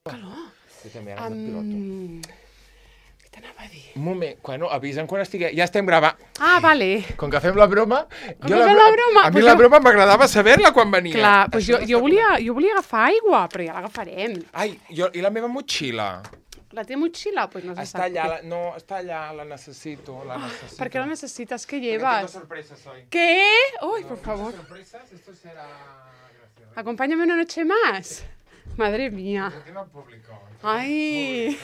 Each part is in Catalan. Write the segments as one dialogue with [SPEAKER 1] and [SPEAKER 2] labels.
[SPEAKER 1] calor.
[SPEAKER 2] Jo també ara em piloto.
[SPEAKER 1] Què t'anava a dir?
[SPEAKER 2] Un moment, avisa'm quan estigui... Ja estem gravant.
[SPEAKER 1] Ah, vale.
[SPEAKER 2] Com que fem la broma...
[SPEAKER 1] Com que fem la broma,
[SPEAKER 2] A mi la broma m'agradava saber-la quan venia.
[SPEAKER 1] Clar, doncs jo volia agafar aigua, però ja l'agafarem.
[SPEAKER 2] Ai, i la meva motxilla?
[SPEAKER 1] La teva motxilla? Pues no se
[SPEAKER 2] Està
[SPEAKER 1] sap.
[SPEAKER 2] allà, no, està allà, la necessito.
[SPEAKER 1] ¿Por qué la necesitas? ¿Qué
[SPEAKER 2] Porque
[SPEAKER 1] llevas?
[SPEAKER 2] tengo sorpresas hoy.
[SPEAKER 1] ¿Qué? Uy, por favor.
[SPEAKER 2] Sorpresas, esto será... Gracias.
[SPEAKER 1] Acompáñame una noche más. Madre mía.
[SPEAKER 2] ¿Por qué no público?
[SPEAKER 1] Ay.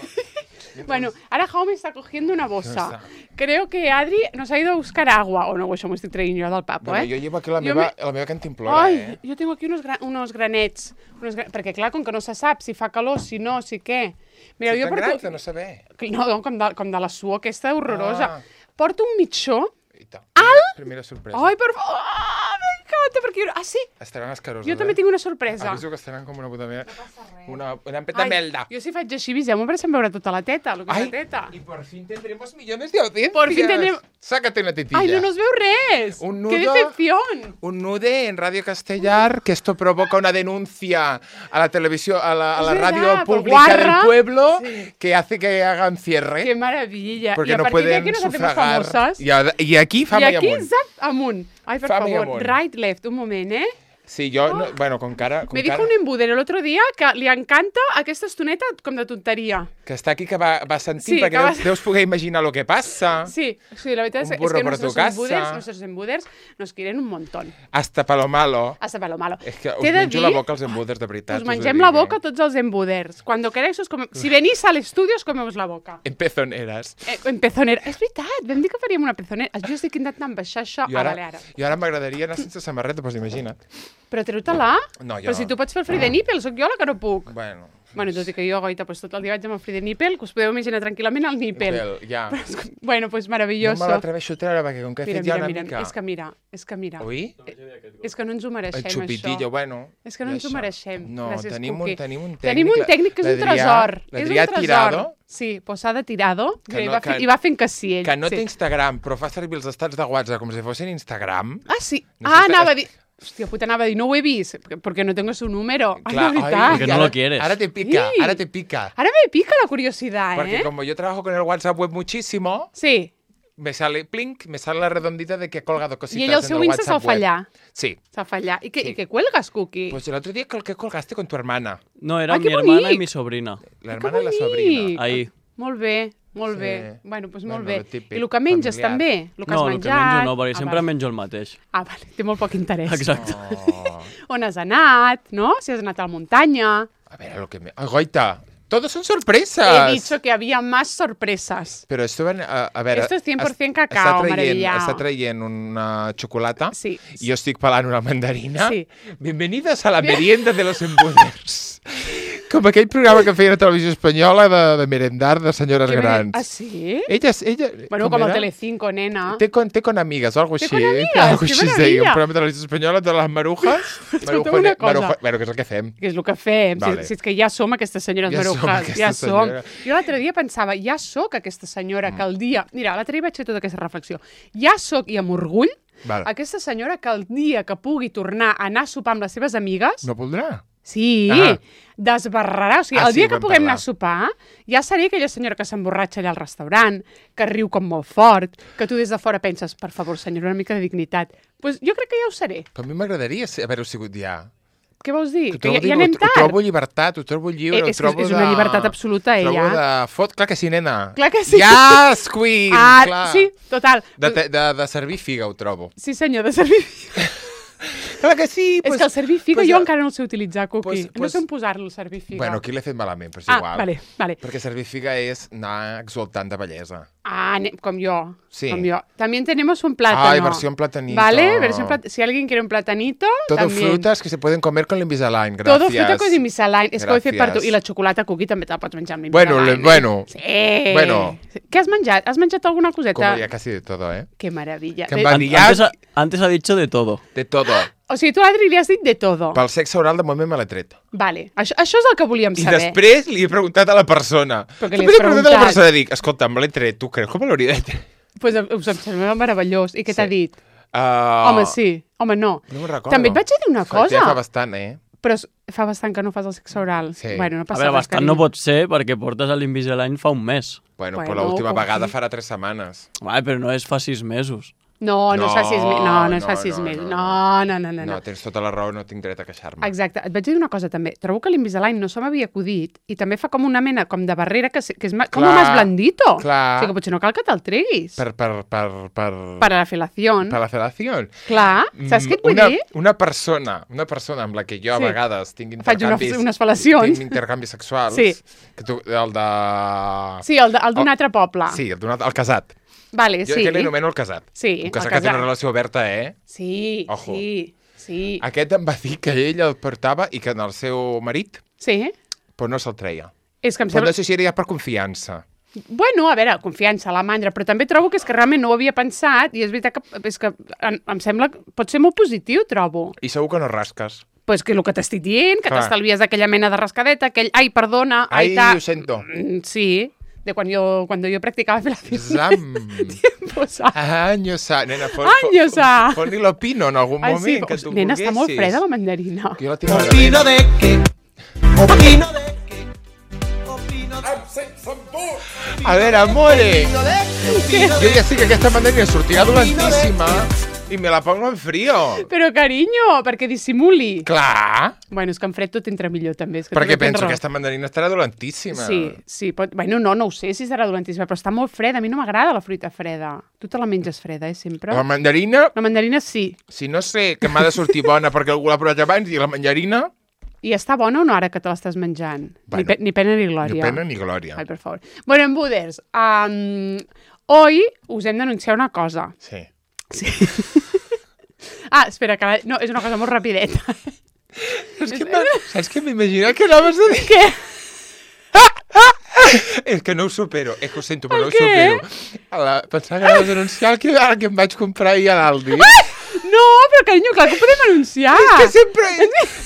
[SPEAKER 1] Bueno, ahora Jaume está cogiendo una bossa.
[SPEAKER 2] Está.
[SPEAKER 1] Creo que Adri nos ha ido a buscar agua. O no, això m'ho estic traient jo del papo,
[SPEAKER 2] Bueno,
[SPEAKER 1] eh?
[SPEAKER 2] jo llevo aquí la meva cantimplora,
[SPEAKER 1] Ai, jo tengo aquí unos granets. Perquè, clar, com que no se sap si fa calor, si no, si què. Mira, jo
[SPEAKER 2] Tan
[SPEAKER 1] porto...
[SPEAKER 2] grans de no saber.
[SPEAKER 1] No, com de la suor aquesta horrorosa. Porto un mitjó.
[SPEAKER 2] Primera sorpresa.
[SPEAKER 1] Ai, per favor! Ah, m'encanta, perquè... Ah, sí?
[SPEAKER 2] Estaran escaroses,
[SPEAKER 1] Jo també tinc una sorpresa.
[SPEAKER 2] Aviso que estaran com una puta merda.
[SPEAKER 1] No passa res.
[SPEAKER 2] Una peta melda.
[SPEAKER 1] Jo si faig així, aviseu-me perquè se'm veurà tota la teta, lo que és la teta.
[SPEAKER 2] Y por fin tendremos millones de audiencias.
[SPEAKER 1] Por fin tendremos...
[SPEAKER 2] Sácate una tetilla.
[SPEAKER 1] Ai, no nos veu res!
[SPEAKER 2] Un nudo...
[SPEAKER 1] ¡Qué decepción!
[SPEAKER 2] Un nude en Radio Castellar, que esto provoca una denuncia a la televisión, a la radio pública del pueblo, sí, que hace que hagan cierre.
[SPEAKER 1] ¡Qué maravilla!
[SPEAKER 2] Porque
[SPEAKER 1] y a
[SPEAKER 2] no
[SPEAKER 1] partir de
[SPEAKER 2] pueden
[SPEAKER 1] aquí nos hacemos
[SPEAKER 2] sufragar.
[SPEAKER 1] famosas.
[SPEAKER 2] Y aquí, fama y
[SPEAKER 1] aquí,
[SPEAKER 2] amunt.
[SPEAKER 1] zap, amunt. Ai, per
[SPEAKER 2] Fama i
[SPEAKER 1] favor,
[SPEAKER 2] amunt.
[SPEAKER 1] right, left, un moment, eh?
[SPEAKER 2] Sí, yo, no, bueno, con cara...
[SPEAKER 1] Me dijo un embuder el otro día que li encanta aquesta estoneta com de tonteria.
[SPEAKER 2] Que està aquí, que va sentint,
[SPEAKER 1] Sí,
[SPEAKER 2] perquè
[SPEAKER 1] que va...
[SPEAKER 2] deus poder imaginar lo que passa.
[SPEAKER 1] Sí, la verdad es que nuestros embuders nos quieren un montón.
[SPEAKER 2] Hasta pa lo malo.
[SPEAKER 1] Hasta pa lo malo.
[SPEAKER 2] És que us menjo la boca els embuders, de veritat.
[SPEAKER 1] Us mengem la boca tots els embuders. Cuando queráis, si venís al estudio, os comemos la boca.
[SPEAKER 2] En pezoneres.
[SPEAKER 1] En pezonera. És veritat, vam dir que faríem una pezonera. Jo estic intentant baixar això a Baleara.
[SPEAKER 2] I ara m'agradaria anar sense samarreta, doncs imagina't.
[SPEAKER 1] Però treu-te-la?
[SPEAKER 2] No, jo...
[SPEAKER 1] Però si tu pots fer el free de nipple, sóc jo la que no puc.
[SPEAKER 2] Bueno,
[SPEAKER 1] tot i que jo, goita, pues, tot el dia vaig amb el free de nipple, que us podeu imaginar tranquil·lament al nipple.
[SPEAKER 2] Ja.
[SPEAKER 1] Bueno, pues maravilloso.
[SPEAKER 2] No me l'atreveixo a treure, perquè com que he fet ja una mica...
[SPEAKER 1] És que mira.
[SPEAKER 2] Oi?
[SPEAKER 1] És que no ens ho mereixem,
[SPEAKER 2] això. El xupitillo, bueno...
[SPEAKER 1] És que no ens ho mereixem.
[SPEAKER 2] No,
[SPEAKER 1] gràcies,
[SPEAKER 2] tenim un tècnic.
[SPEAKER 1] Tenim un tècnic que és un tresor.
[SPEAKER 2] L'Adrià Tirado.
[SPEAKER 1] Sí, posada tirado. I va fent que sí, ell.
[SPEAKER 2] Que no té Instagram, però fa servir els estats de WhatsApp com si fossin Instagram.
[SPEAKER 1] Ah, sí. Anava a dir... Hòstia puta, anava a dir, no ho he vist, perquè no tengo su número.
[SPEAKER 2] Claro,
[SPEAKER 1] ay, la
[SPEAKER 3] porque no lo quieres.
[SPEAKER 2] Ahora te pica,
[SPEAKER 1] sí.
[SPEAKER 2] Ahora te pica.
[SPEAKER 1] Ahora me pica la curiosidad,
[SPEAKER 2] Porque como yo trabajo con el WhatsApp web muchísimo,
[SPEAKER 1] sí,
[SPEAKER 2] me sale plink, me sale la redondita de que he colgado cositas
[SPEAKER 1] en el WhatsApp. Y ell el seu Insta se'l fa allà.
[SPEAKER 2] Sí.
[SPEAKER 1] Se'l fa allà. ¿Y qué cuelgas, Cookie?
[SPEAKER 2] Pues el otro día que colgaste con tu hermana.
[SPEAKER 3] No, era mi hermana y mi sobrina.
[SPEAKER 2] La hermana y la sobrina.
[SPEAKER 3] Ahí.
[SPEAKER 1] Molt bé. Molt bé. Bueno, doncs molt bé.
[SPEAKER 2] Típic,
[SPEAKER 1] I el que menges
[SPEAKER 2] familiar.
[SPEAKER 1] també? El que has
[SPEAKER 3] no,
[SPEAKER 1] menjat?
[SPEAKER 3] El que menjo no, perquè sempre menjo el mateix.
[SPEAKER 1] Ah, vale. Té molt poc interès.
[SPEAKER 3] Exacte.
[SPEAKER 2] Oh.
[SPEAKER 1] On has anat, no? Si has anat a la muntanya.
[SPEAKER 2] A ver, lo que me... Goita, todos son sorpresas.
[SPEAKER 1] He dicho que había más sorpresas.
[SPEAKER 2] Pero esto, a ver...
[SPEAKER 1] Esto es 100% cacao, maravillado.
[SPEAKER 2] Està traient una xocolata.
[SPEAKER 1] Sí.
[SPEAKER 2] I jo estic pelant una mandarina.
[SPEAKER 1] Sí.
[SPEAKER 2] Bienvenidos a la merienda de los embuders. Com aquell programa que feien a Televisió Espanyola de merendar de senyores grans.
[SPEAKER 1] Ah, sí?
[SPEAKER 2] Ella
[SPEAKER 1] bueno, com el Telecinco, nena.
[SPEAKER 2] Té con amigas o algo així.
[SPEAKER 1] Té con amigas,
[SPEAKER 2] algo
[SPEAKER 1] que
[SPEAKER 2] així
[SPEAKER 1] maravilla.
[SPEAKER 2] Un programa de Televisió Espanyola de les marujas.
[SPEAKER 1] Escolta'm una cosa.
[SPEAKER 2] Bueno, que és el que fem.
[SPEAKER 1] Que és el que fem.
[SPEAKER 2] Vale.
[SPEAKER 1] Si és que ja som aquestes senyores marujas. Ja som. Jo l'altre dia pensava, ja sóc aquesta senyora que el dia... Mira, l'altre dia vaig fer tota aquesta reflexió. Ja sóc, i amb orgull, aquesta senyora que el dia que pugui tornar a anar a sopar amb les seves amigues...
[SPEAKER 2] No voldrà?
[SPEAKER 1] Sí, desbarrarà. O sigui, el dia que puguem anar a sopar, ja seré aquella senyora que s'emborratxa allà al restaurant, que riu com molt fort, que tu des de fora penses, per favor, senyora, una mica de dignitat. Doncs jo crec que ja ho seré.
[SPEAKER 2] Però a mi m'agradaria haver-ho sigut ja.
[SPEAKER 1] Què vols dir?
[SPEAKER 2] Que ja
[SPEAKER 1] anem tard?
[SPEAKER 2] Ho trobo llibertat, ho trobo lliure, ho trobo
[SPEAKER 1] és una llibertat absoluta, ella.
[SPEAKER 2] Trobo de fot, clar que sí, nena.
[SPEAKER 1] Clar que sí.
[SPEAKER 2] Yes, queen! Clar.
[SPEAKER 1] Sí, total.
[SPEAKER 2] De servir figa ho trobo.
[SPEAKER 1] Sí, senyor, de servir figa.
[SPEAKER 2] Clar que sí.
[SPEAKER 1] És que el servir figa jo encara no el sé utilitzar, Cookie. No sé on posar-lo, el servir figa.
[SPEAKER 2] Bueno, aquí l'he fet malament, però és igual.
[SPEAKER 1] Vale.
[SPEAKER 2] Perquè servir figa és anar exultant de bellesa.
[SPEAKER 1] Ah, com yo.
[SPEAKER 2] Sí.
[SPEAKER 1] Como yo. También tenemos un plátano.
[SPEAKER 2] Ay, versión platanito.
[SPEAKER 1] ¿Vale? Si alguien quiere un platanito,
[SPEAKER 2] todo
[SPEAKER 1] también.
[SPEAKER 2] Frutas que se pueden comer con l'Invisalign, gràcies.
[SPEAKER 1] Todo fruta con l'Invisalign. És que ho he fet per tu. I la xocolata Cookie també te la pots menjar amb l'Invisalign.
[SPEAKER 2] Bueno.
[SPEAKER 1] Sí.
[SPEAKER 2] Bueno.
[SPEAKER 1] Què has menjat? Has menjat alguna coseta?
[SPEAKER 2] Comía casi de todo, ¿eh?
[SPEAKER 1] Qué maravilla.
[SPEAKER 3] Antes ha dicho de todo.
[SPEAKER 2] De todo.
[SPEAKER 1] O sigui, tu, Adri, li has dit de todo.
[SPEAKER 2] Pel sexe oral, de moment me l'he tret.
[SPEAKER 1] Vale. Això és el que volíem saber.
[SPEAKER 2] I després li he preguntat a la persona.
[SPEAKER 1] Perquè li has preguntat
[SPEAKER 2] a la persona, dic, escolta, me l'he tret, tu creus que me l'hauria de tret?
[SPEAKER 1] Pues em sembla meravellós. I què t'ha dit? Home, sí. Home, no.
[SPEAKER 2] No me'n recordo.
[SPEAKER 1] També et vaig dir una cosa.
[SPEAKER 2] Ja fa bastant, eh?
[SPEAKER 1] Però fa bastant que no fas el sexe oral.
[SPEAKER 2] Sí.
[SPEAKER 1] Bueno, no
[SPEAKER 3] A
[SPEAKER 1] passa
[SPEAKER 3] veure,
[SPEAKER 1] res,
[SPEAKER 3] bastant
[SPEAKER 1] carinyo.
[SPEAKER 3] no pot ser perquè portes l'Invisalign fa un mes.
[SPEAKER 2] Bueno,
[SPEAKER 1] Bueno,
[SPEAKER 2] però l'última
[SPEAKER 1] com
[SPEAKER 2] vegada
[SPEAKER 1] que-
[SPEAKER 2] farà 3 setmanes.
[SPEAKER 3] Vale, però no és fa 6 mesos.
[SPEAKER 1] No es fa 6 mesos. No es fa
[SPEAKER 2] no,
[SPEAKER 1] 6
[SPEAKER 2] no,
[SPEAKER 1] mesos.
[SPEAKER 2] no.
[SPEAKER 1] No.
[SPEAKER 2] No, tens tota la raó, no tinc dret a queixar-me.
[SPEAKER 1] Exacte. Et vaig dir una cosa també. Trobo que l'Invisalign no se m'havia acudit i també fa com una mena com de barrera que és com
[SPEAKER 2] Clar,
[SPEAKER 1] más blandito.
[SPEAKER 2] clar.
[SPEAKER 1] O sigui que potser no cal que te'l treguis.
[SPEAKER 2] Per
[SPEAKER 1] la filació.
[SPEAKER 2] Per la federació.
[SPEAKER 1] Clar. Saps què et vull dir?
[SPEAKER 2] Una persona amb la que jo a
[SPEAKER 1] Sí.
[SPEAKER 2] vegades tinc
[SPEAKER 1] Faig
[SPEAKER 2] intercanvis...
[SPEAKER 1] unes fal·lacions.
[SPEAKER 2] Tinc intercanvis sexuals.
[SPEAKER 1] Sí.
[SPEAKER 2] Que tu, el de...
[SPEAKER 1] Sí, el d'un altre poble.
[SPEAKER 2] Sí, el casat.
[SPEAKER 1] Vale,
[SPEAKER 2] Jo
[SPEAKER 1] sí.
[SPEAKER 2] que l'anomeno el casat.
[SPEAKER 1] Sí,
[SPEAKER 2] Un casat
[SPEAKER 1] el
[SPEAKER 2] que té una
[SPEAKER 1] casat.
[SPEAKER 2] relació oberta,
[SPEAKER 1] Sí,
[SPEAKER 2] Ojo.
[SPEAKER 1] sí.
[SPEAKER 2] Aquest em va dir que ell el portava i que en el seu marit
[SPEAKER 1] Sí?
[SPEAKER 2] però no se'l treia.
[SPEAKER 1] És que em
[SPEAKER 2] Però
[SPEAKER 1] sembla...
[SPEAKER 2] no sé si era ja per confiança.
[SPEAKER 1] Bueno, a veure, confiança, la mandra, però també trobo que és que realment no ho havia pensat i és veritat que em sembla que pot ser molt positiu, trobo.
[SPEAKER 2] I segur que no rasques.
[SPEAKER 1] Pues que el que t'estic dient, que
[SPEAKER 2] Clar.
[SPEAKER 1] t'estalvies aquella mena de rascadeta, aquell, ai, perdona,
[SPEAKER 2] Ai,
[SPEAKER 1] ta...
[SPEAKER 2] ho sento.
[SPEAKER 1] Sí, de cuando yo practicaba filación.
[SPEAKER 2] Zam.
[SPEAKER 1] Pues,
[SPEAKER 2] Años sa. Nena,
[SPEAKER 1] Años sa.
[SPEAKER 2] fon-li l'opino en algun
[SPEAKER 1] ai,
[SPEAKER 2] moment
[SPEAKER 1] sí,
[SPEAKER 2] que tu
[SPEAKER 1] nena,
[SPEAKER 2] volguessis.
[SPEAKER 1] està molt freda la mandarina.
[SPEAKER 2] Que jo la tinc
[SPEAKER 4] Opino de que, opino de que, opino de
[SPEAKER 2] A veure, amore,
[SPEAKER 4] que,
[SPEAKER 2] jo ja sé que aquesta mandarina sortirà dolentíssima i me la pongo en frío.
[SPEAKER 1] Però, carinyo, perquè dissimuli.
[SPEAKER 2] Clar,
[SPEAKER 1] Bueno, és que en fred tot entra millor, també. És que
[SPEAKER 2] perquè
[SPEAKER 1] també tens
[SPEAKER 2] penso
[SPEAKER 1] raó.
[SPEAKER 2] que aquesta mandarina estarà dolentíssima.
[SPEAKER 1] Sí, pot... Bueno, no ho sé si serà dolentíssima, però està molt freda. A mi no m'agrada la fruita freda. Tu te la menges freda, sempre?
[SPEAKER 2] La mandarina,
[SPEAKER 1] La mandarina sí.
[SPEAKER 2] si no sé que m'ha de sortir bona perquè algú l'ha provat abans, i la mandarina,
[SPEAKER 1] I està bona o no ara que te l'estàs menjant?
[SPEAKER 2] Bueno,
[SPEAKER 1] Ni pena ni glòria.
[SPEAKER 2] ni pena ni glòria.
[SPEAKER 1] Ai, per favor. Bueno, en Buders, hoy us hem d'anunciar una cosa.
[SPEAKER 2] Sí.
[SPEAKER 1] Sí. Espera, que no, és una cosa molt rapideta.
[SPEAKER 2] Saps què m'imagina que anaves a dir?
[SPEAKER 1] Què?
[SPEAKER 2] És que no ho supero, és que ho sento, però no ho
[SPEAKER 1] Per què?
[SPEAKER 2] supero. Pensava que anaves a anunciar que em vaig comprar ahir a l'Aldi.
[SPEAKER 1] No, però carinyo, clar que ho podem anunciar.
[SPEAKER 2] Que sempre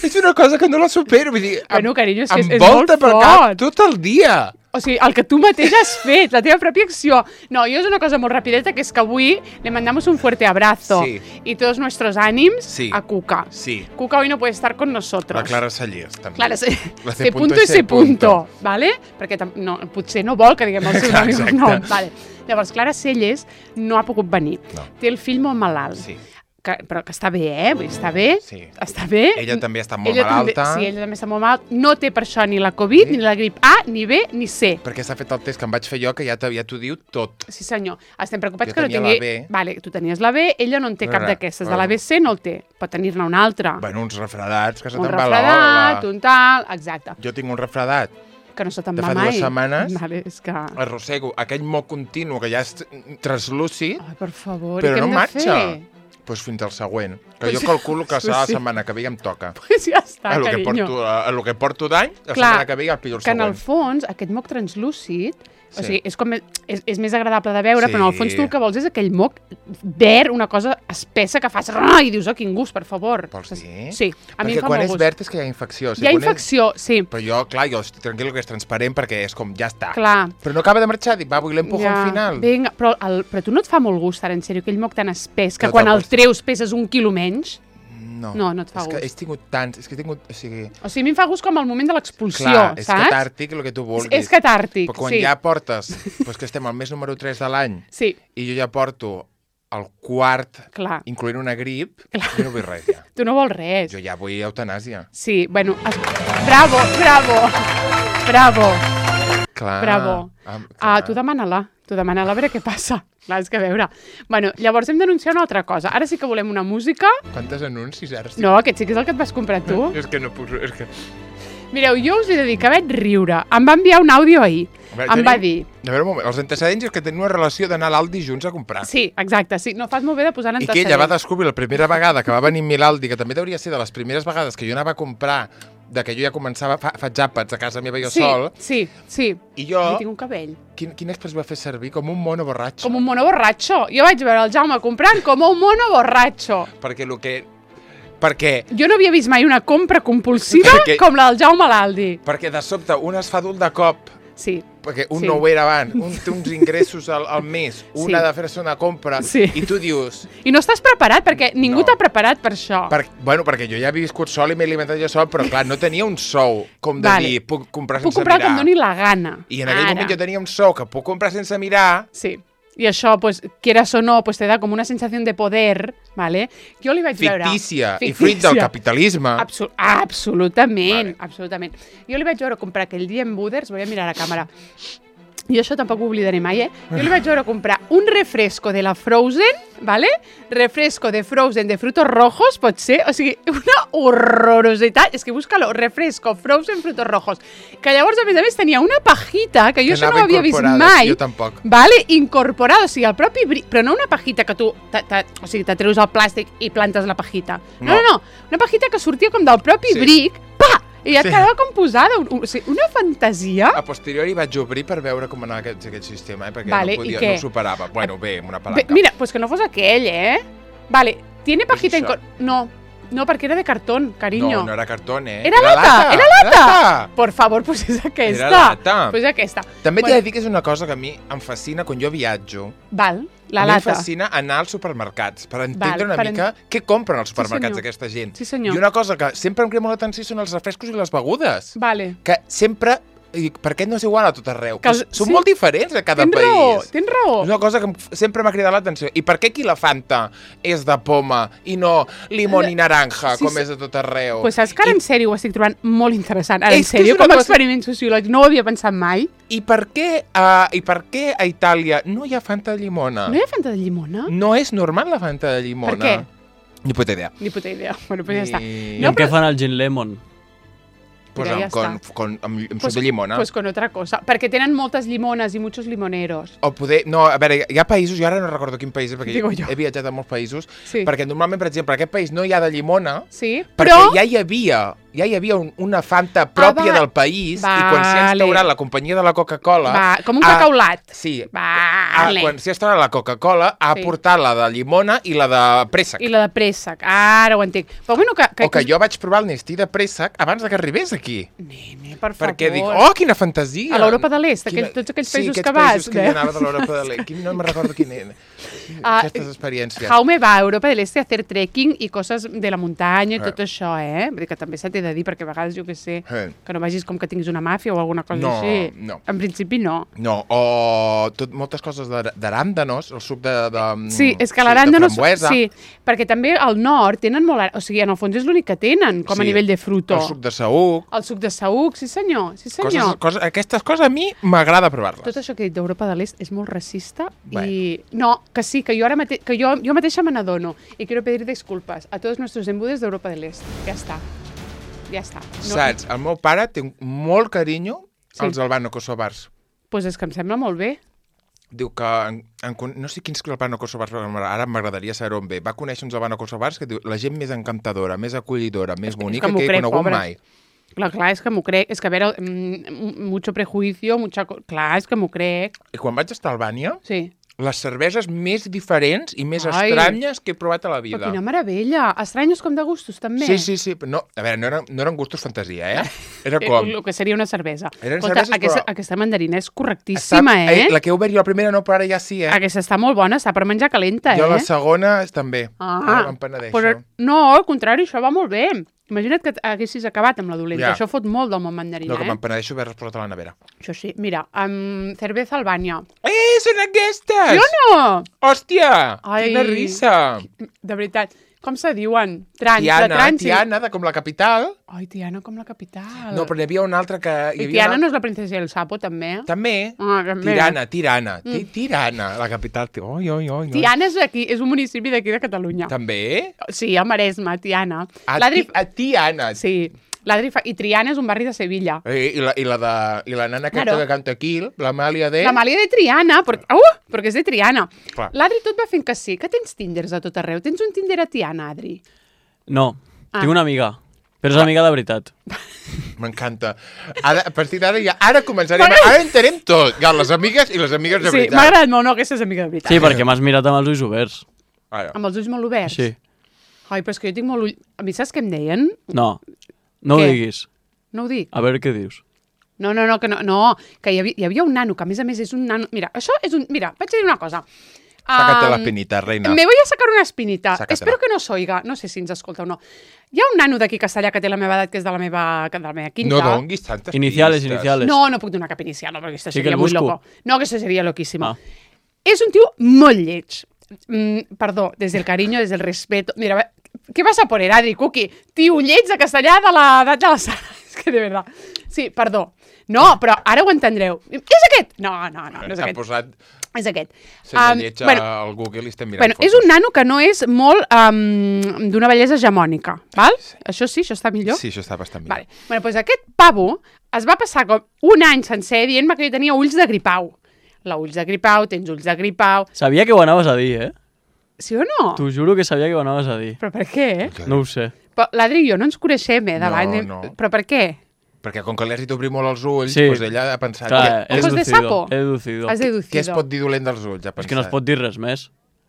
[SPEAKER 2] és una cosa que no la supero. Vull dir,
[SPEAKER 1] Bueno, carinyo, és que és
[SPEAKER 2] em
[SPEAKER 1] molt
[SPEAKER 2] volta pel cap
[SPEAKER 1] fort.
[SPEAKER 2] tot el dia.
[SPEAKER 1] O sigui, el que tu mateix has fet, la teva pròpia acció. No, jo és una cosa molt rapideta, que és que avui le mandamos un fuerte abrazo
[SPEAKER 2] Sí.
[SPEAKER 1] y todos nuestros ánimos
[SPEAKER 2] Sí.
[SPEAKER 1] a Cuca.
[SPEAKER 2] Sí.
[SPEAKER 1] Cuca hoy no puede estar con nosotros.
[SPEAKER 2] La Clara Sallés, també.
[SPEAKER 1] Clara,
[SPEAKER 2] La
[SPEAKER 1] C punto i C punto, vale? Perquè no, potser no vol que diguem el seu nom.
[SPEAKER 2] Exacte.
[SPEAKER 1] No, vale. Llavors, Clara Celles no ha pogut venir.
[SPEAKER 2] No.
[SPEAKER 1] Té el fill molt malalt.
[SPEAKER 2] Sí.
[SPEAKER 1] Però que està bé, Vull dir, està bé.
[SPEAKER 2] Sí.
[SPEAKER 1] Està bé.
[SPEAKER 2] Ella també està molt
[SPEAKER 1] Ella
[SPEAKER 2] malalta.
[SPEAKER 1] Sí, ella també està molt malalt. No té per això ni la Covid,
[SPEAKER 2] Sí.
[SPEAKER 1] ni la grip A, ni B, ni C.
[SPEAKER 2] Perquè s'ha fet el test que em vaig fer jo, que ja t'ho diu tot.
[SPEAKER 1] Sí, senyor. Estem preocupats
[SPEAKER 2] Jo
[SPEAKER 1] que no
[SPEAKER 2] tenia
[SPEAKER 1] tingui...
[SPEAKER 2] la B.
[SPEAKER 1] Vale, tu tenies la B, ella no en té cap
[SPEAKER 2] Res,
[SPEAKER 1] d'aquestes. De
[SPEAKER 2] bueno.
[SPEAKER 1] la BC no el té. Pot tenir-ne una altra.
[SPEAKER 2] Bueno, uns refredats, que se
[SPEAKER 1] un
[SPEAKER 2] te'n va
[SPEAKER 1] refredat,
[SPEAKER 2] l'ola.
[SPEAKER 1] un tal... Exacte.
[SPEAKER 2] Jo tinc un refredat.
[SPEAKER 1] Que no se te'n
[SPEAKER 2] De
[SPEAKER 1] va
[SPEAKER 2] fa
[SPEAKER 1] mai.
[SPEAKER 2] 2 setmanes.
[SPEAKER 1] Vale, és que...
[SPEAKER 2] Arrossego aquell moc continu que ja és translúcid,
[SPEAKER 1] Ai, per favor,
[SPEAKER 2] però
[SPEAKER 1] i què
[SPEAKER 2] no
[SPEAKER 1] hem
[SPEAKER 2] marxa.
[SPEAKER 1] de fer?
[SPEAKER 2] Doncs fins al següent. Que
[SPEAKER 1] Pues
[SPEAKER 2] jo
[SPEAKER 1] sí.
[SPEAKER 2] calculo que serà la
[SPEAKER 1] Sí.
[SPEAKER 2] setmana que ve i em toca.
[SPEAKER 1] Pues ja està,
[SPEAKER 2] A lo que
[SPEAKER 1] carinyo.
[SPEAKER 2] porto, a lo que porto d'any, la
[SPEAKER 1] Clar,
[SPEAKER 2] setmana que ve ja el pillo el
[SPEAKER 1] que en
[SPEAKER 2] següent.
[SPEAKER 1] el fons, aquest moc translúcid, o
[SPEAKER 2] Sí.
[SPEAKER 1] sigui, és, com, és més agradable de veure,
[SPEAKER 2] Sí.
[SPEAKER 1] però en el fons tu el que vols és aquell moc verd, una cosa espessa que fas... I dius, oh, quin gust, per favor.
[SPEAKER 2] Vols dir?
[SPEAKER 1] Sí, a mi
[SPEAKER 2] Perquè
[SPEAKER 1] em fa
[SPEAKER 2] quan
[SPEAKER 1] molt
[SPEAKER 2] és
[SPEAKER 1] gust.
[SPEAKER 2] verd és que hi ha infecció.
[SPEAKER 1] Hi ha infecció, sí.
[SPEAKER 2] Però jo, clar, jo estic tranquil que és transparent perquè és com, ja està.
[SPEAKER 1] Clar.
[SPEAKER 2] Però no acaba de marxar, dic, va, vull l'empujo al final.
[SPEAKER 1] Vinga, però tu no et fa molt gust, ara, en sèrio, aquell moc tan espès, que
[SPEAKER 2] No
[SPEAKER 1] quan
[SPEAKER 2] te'l
[SPEAKER 1] el
[SPEAKER 2] pots-
[SPEAKER 1] treus peses 1 quilo menys?
[SPEAKER 2] No,
[SPEAKER 1] no et fa
[SPEAKER 2] és
[SPEAKER 1] gust.
[SPEAKER 2] que he tingut tants, és que he tingut, o sigui...
[SPEAKER 1] O sigui, a mi em fa gust com el moment de l'expulsió,
[SPEAKER 2] Clar, és
[SPEAKER 1] saps?
[SPEAKER 2] catàrtic el que tu vulguis.
[SPEAKER 1] És catàrtic,
[SPEAKER 2] Però quan
[SPEAKER 1] sí.
[SPEAKER 2] ja portes, doncs que estem al mes número 3 de l'any,
[SPEAKER 1] Sí,
[SPEAKER 2] i jo ja porto el quart,
[SPEAKER 1] clar.
[SPEAKER 2] incloent una grip, jo no vull res ja.
[SPEAKER 1] Tu no vols res.
[SPEAKER 2] Jo ja vull eutanàsia.
[SPEAKER 1] Sí, bueno... Bravo, bravo, bravo,
[SPEAKER 2] Clar.
[SPEAKER 1] bravo. Tu demana-la a veure què passa. Clar, és que a veure... Bueno, llavors hem d'anunciar una altra cosa. Ara sí que volem una música.
[SPEAKER 2] Quantes anuncis ara? Sí.
[SPEAKER 1] No, aquest sí que és el que et vas comprar tu.
[SPEAKER 2] És que no puc... És que...
[SPEAKER 1] Mireu, jo us he de dir que vaig riure. Em va enviar un àudio ahir. Em va dir...
[SPEAKER 2] A veure, un moment, els antecedents és que tenen una relació d'anar a l'Aldi junts a comprar.
[SPEAKER 1] Sí, exacte, sí. No fas molt bé de posar en
[SPEAKER 2] I que ella va descobrir la primera vegada que va venir a l'Aldi, que també hauria ser de les primeres vegades que jo anava a comprar, de que jo ja començava, faig àpats a casa meva jo sol,
[SPEAKER 1] Sí.
[SPEAKER 2] i jo,
[SPEAKER 1] Jo tinc un cabell.
[SPEAKER 2] quin express va fer servir? Com un mono borratxo.
[SPEAKER 1] Com un mono borratxo. Jo vaig veure el Jaume comprant com un mono borratxo.
[SPEAKER 2] Perquè
[SPEAKER 1] Jo no havia vist mai una compra compulsiva
[SPEAKER 2] Perquè-
[SPEAKER 1] com la del Jaume a l'Aldi.
[SPEAKER 2] de sobte un es fa adult de cop
[SPEAKER 1] Sí.
[SPEAKER 2] Perquè un no ho era abans, un té uns ingressos al mes, un ha de fer-se una compra, i tu dius...
[SPEAKER 1] I no estàs preparat, perquè ningú t'ha preparat per això.
[SPEAKER 2] Perquè jo ja havia viscut sol i m'he alimentat jo sol, però clar, no tenia un sou, com de dir, puc comprar sense mirar.
[SPEAKER 1] Puc comprar que em doni la gana.
[SPEAKER 2] I en aquell moment jo tenia un sou que puc comprar sense mirar.
[SPEAKER 1] Sí. I això, pues, quieras o no, pues te da com una sensació de poder, ¿vale? Jo li vaig veure...
[SPEAKER 2] Fictícia, i fruit del capitalisme.
[SPEAKER 1] Absolutament, absolutament. Jo li vaig veure comprar aquell dia en Buders, voy a mirar a la càmera, i això tampoc ho oblidaré mai, Jo li vaig veure comprar un refresco de la Frozen, ¿vale? Refresco de Frozen de frutos rojos, pot ser? O sigui, una horrorositat. És que búscalo, refresco Frozen frutos rojos. Que llavors, a més, tenia una pajita, que jo això no ho havia vist mai.
[SPEAKER 2] Jo tampoc.
[SPEAKER 1] Vale? Incorporada, o sigui, el propi bric, però no una pajita que tu, o sigui, te treus el plàstic i plantes la pajita. No. Una pajita que sortia com del propi bric, pa! I ja et quedava com posada, o sigui, una fantasia.
[SPEAKER 2] A posteriori vaig obrir per veure com anava aquest sistema, perquè no ho superava. Bueno, bé, una palanca.
[SPEAKER 1] Mira, pues que no fos aquell, Vale, tiene pajita No, perquè era de cartón, cariño.
[SPEAKER 2] No era cartón,
[SPEAKER 1] Era lata! Por favor, pues és aquesta.
[SPEAKER 2] Era lata.
[SPEAKER 1] Pues és aquesta.
[SPEAKER 2] També t'he de dir que és una cosa que a mi em fascina quan jo viatjo.
[SPEAKER 1] Val, la lata.
[SPEAKER 2] Em fascina anar als supermercats per entendre una mica què compren als supermercats aquesta gent.
[SPEAKER 1] Sí, senyor.
[SPEAKER 2] I una cosa que sempre em crema l'atenció són els refrescos i les begudes.
[SPEAKER 1] Vale.
[SPEAKER 2] Que sempre... Per què no és igual a tot arreu? Són molt diferents a cada país.
[SPEAKER 1] Tens raó.
[SPEAKER 2] És una cosa que sempre m'ha cridat l'atenció. I per què aquí la Fanta és de poma i no limón i naranja, com és a tot arreu?
[SPEAKER 1] Pues saps que ara en sèrio ho estic trobant molt interessant. Ara, en sèrio, com a experiment sociològic, no ho havia pensat mai.
[SPEAKER 2] I per què a Itàlia no hi ha Fanta de llimona?
[SPEAKER 1] No hi ha Fanta de llimona?
[SPEAKER 2] No és normal la Fanta de llimona.
[SPEAKER 1] Per què?
[SPEAKER 2] Ni puta idea.
[SPEAKER 1] Bueno, pues ja està.
[SPEAKER 3] I amb què fan el gin lemon?
[SPEAKER 2] Pues amb suc de llimona.
[SPEAKER 1] Pues con otra cosa. Perquè tenen moltes llimones i muchos limoneros.
[SPEAKER 2] O poder... No, a veure, hi ha països, jo ara no recordo quin país, perquè he viatjat a molts països, perquè normalment, per exemple, en aquest país no hi ha de llimona, perquè ja hi havia una Fanta pròpia del país, i quan s'ha instaurat la companyia de la Coca-Cola...
[SPEAKER 1] Com un cacaulat.
[SPEAKER 2] Sí. Quan s'ha instaurat la Coca-Cola, ha portat la de llimona i la de préssec.
[SPEAKER 1] I la de préssec. Ara ho entenc. Però bueno,
[SPEAKER 2] o que jo vaig provar el Nestí de préssec abans que arribés aquí.
[SPEAKER 1] Nene, per favor.
[SPEAKER 2] Perquè dic, quina fantasia!
[SPEAKER 1] A l'Europa de l'Est, tots aquells països que vas.
[SPEAKER 2] Sí, aquests països que hi anava de l'Europa de l'Est. No me'n recordo quin era. Aquestes experiències.
[SPEAKER 1] Jaume va a Europa del Este a hacer trekking i coses de la muntanya i tot això, Vull dir que també s'ha de dir, perquè a vegades, jo què sé, que no vagis com que tinguis una màfia o alguna cosa així.
[SPEAKER 2] No.
[SPEAKER 1] En principi, no.
[SPEAKER 2] No, o moltes coses d'aràndanos, el suc de
[SPEAKER 1] sí, és que l'aràndanos...
[SPEAKER 2] Sí,
[SPEAKER 1] perquè també al nord tenen molt... O sigui, en el fons és l'únic que tenen, com a nivell de fruto.
[SPEAKER 2] El suc de saüc.
[SPEAKER 1] El suc de saüc, sí senyor.
[SPEAKER 2] Aquestes coses a mi m'agrada provar-les.
[SPEAKER 1] Tot això que he dit d'Europa de l'Est és molt racista i... No, que sí, que jo ara mateix, que jo mateixa me n'adono i quiero pedir disculpas a tots nuestros embudes d'Europa de l'Est. Ja està.
[SPEAKER 2] Saps, el meu pare té molt carinyo als albano-kosovars.
[SPEAKER 1] Pues és que em sembla molt bé.
[SPEAKER 2] Diu que, no sé quins albano-kosovars, ara m'agradaria saber on ve. Va conèixer uns albano-kosovars que diu la gent més encantadora, més acollidora, més bonica que he conegut mai.
[SPEAKER 1] Clar, és que m'ho crec. És que, a veure, mucho prejuicio, clar, és que m'ho crec.
[SPEAKER 2] I quan vaig estar a Albània,
[SPEAKER 1] sí,
[SPEAKER 2] les cerveses més diferents i més estranyes que he provat a la vida.
[SPEAKER 1] Però quina meravella! Estranyos com de gustos, també.
[SPEAKER 2] Sí. No, a veure, no eren gustos fantasia, Era com...
[SPEAKER 1] El que seria una cervesa.
[SPEAKER 2] Eren cerveses, però...
[SPEAKER 1] Aquesta mandarina és correctíssima,
[SPEAKER 2] La que heu obert jo la primera no, però ara ja sí,
[SPEAKER 1] Aquesta està molt bona, està per menjar calenta,
[SPEAKER 2] Jo la segona també.
[SPEAKER 1] Ara
[SPEAKER 2] me'n penedeixo.
[SPEAKER 1] Però no, al contrari, això va molt bé. Imagina't que haguessis acabat amb la dolenta. Això fot molt del món mandarina,
[SPEAKER 2] No, que me'n penedeixo haver-les posat a la nevera.
[SPEAKER 1] Això sí. Mira, cerveza Albània.
[SPEAKER 2] Són aquestes!
[SPEAKER 1] Jo no!
[SPEAKER 2] Hòstia! Quina risa!
[SPEAKER 1] De veritat. Com se diuen? Tiana,
[SPEAKER 2] com la capital.
[SPEAKER 1] Ai, Tiana com la capital.
[SPEAKER 2] No, però hi havia una altra que...
[SPEAKER 1] I Tiana no és la princesa del sapo, també?
[SPEAKER 2] També.
[SPEAKER 1] També.
[SPEAKER 2] Tirana, la capital. Oi.
[SPEAKER 1] Tiana és un municipi d'aquí de Catalunya.
[SPEAKER 2] També?
[SPEAKER 1] Sí, a Maresme, Tiana.
[SPEAKER 2] Tiana.
[SPEAKER 1] Sí. I Triana és un barri de Sevilla.
[SPEAKER 2] I la nana aquesta que canta aquí, l'Amàlia de...
[SPEAKER 1] L'Amàlia de Triana, perquè és de Triana. L'Adri tot va fent que sí, que tens Tinders a tot arreu. Tens un Tinder a Tiana, Adri?
[SPEAKER 3] No, tinc una amiga, però és amiga de veritat.
[SPEAKER 2] M'encanta. A partir d'ara ara començarem... Ara entenem tot. Les amigues i les amigues de veritat.
[SPEAKER 1] Sí, m'ha agradat molt, no, aquesta és amiga de veritat.
[SPEAKER 3] Sí, perquè m'has mirat amb els ulls oberts.
[SPEAKER 1] Amb els ulls molt oberts?
[SPEAKER 3] Sí.
[SPEAKER 1] Ai, però és que jo tinc molt ull... A mi saps què em deien?
[SPEAKER 3] No ho diguis.
[SPEAKER 1] No ho dic?
[SPEAKER 3] A veure què dius.
[SPEAKER 1] No, que hi havia un nano, que a més és un nano... Mira, això és un... Mira, vaig dir una cosa.
[SPEAKER 2] Sácate la espinita, reina.
[SPEAKER 1] Me voy a sacar una espinita. Espero que no s'oiga. No sé si ens escolta o no. Hi ha un nano d'aquí Castellà que té la meva edat, que és de la meva quinta.
[SPEAKER 2] No donguis tantes
[SPEAKER 3] Iniciales.
[SPEAKER 1] No puc donar cap inicial, no, perquè això seria muy loco. No, que això seria loquísimo. És un tio molt lleig. Perdó, des del carinyo, des del respeto. Mira, què vas a poner, Adri, Cuqui? Tio lleig de Castellà de l'edat de la Sara. És que de veritat. Sí, perdó. No, però ara ho entendreu. És aquest? No, és aquest.
[SPEAKER 2] Posat...
[SPEAKER 1] És aquest.
[SPEAKER 2] Senyor lleig al Google i estem mirant fotos.
[SPEAKER 1] És un nano que no és molt d'una bellesa hegemònica, val? Això sí, això està millor?
[SPEAKER 2] Sí, això està bastant millor.
[SPEAKER 1] Vale. Doncs aquest pavo es va passar com un any sencer dient-me que jo tenia ulls de gripau. Ulls de gripau, tens ulls de gripau...
[SPEAKER 3] Sabia que ho anaves a dir,
[SPEAKER 1] Sí o no?
[SPEAKER 3] T'ho juro que sabia que ho anaves a dir.
[SPEAKER 1] Però per què?
[SPEAKER 3] No ho sé.
[SPEAKER 1] Però l'Adri i jo no ens coneixem, davant.
[SPEAKER 2] No.
[SPEAKER 1] Però per què?
[SPEAKER 2] Perquè com que li has dit obrir molt els ulls, doncs ella ha pensat...
[SPEAKER 1] Ojos de sapo?
[SPEAKER 3] He deducido.
[SPEAKER 2] Què es pot dir dolent dels ulls?
[SPEAKER 3] És que no es pot dir res més.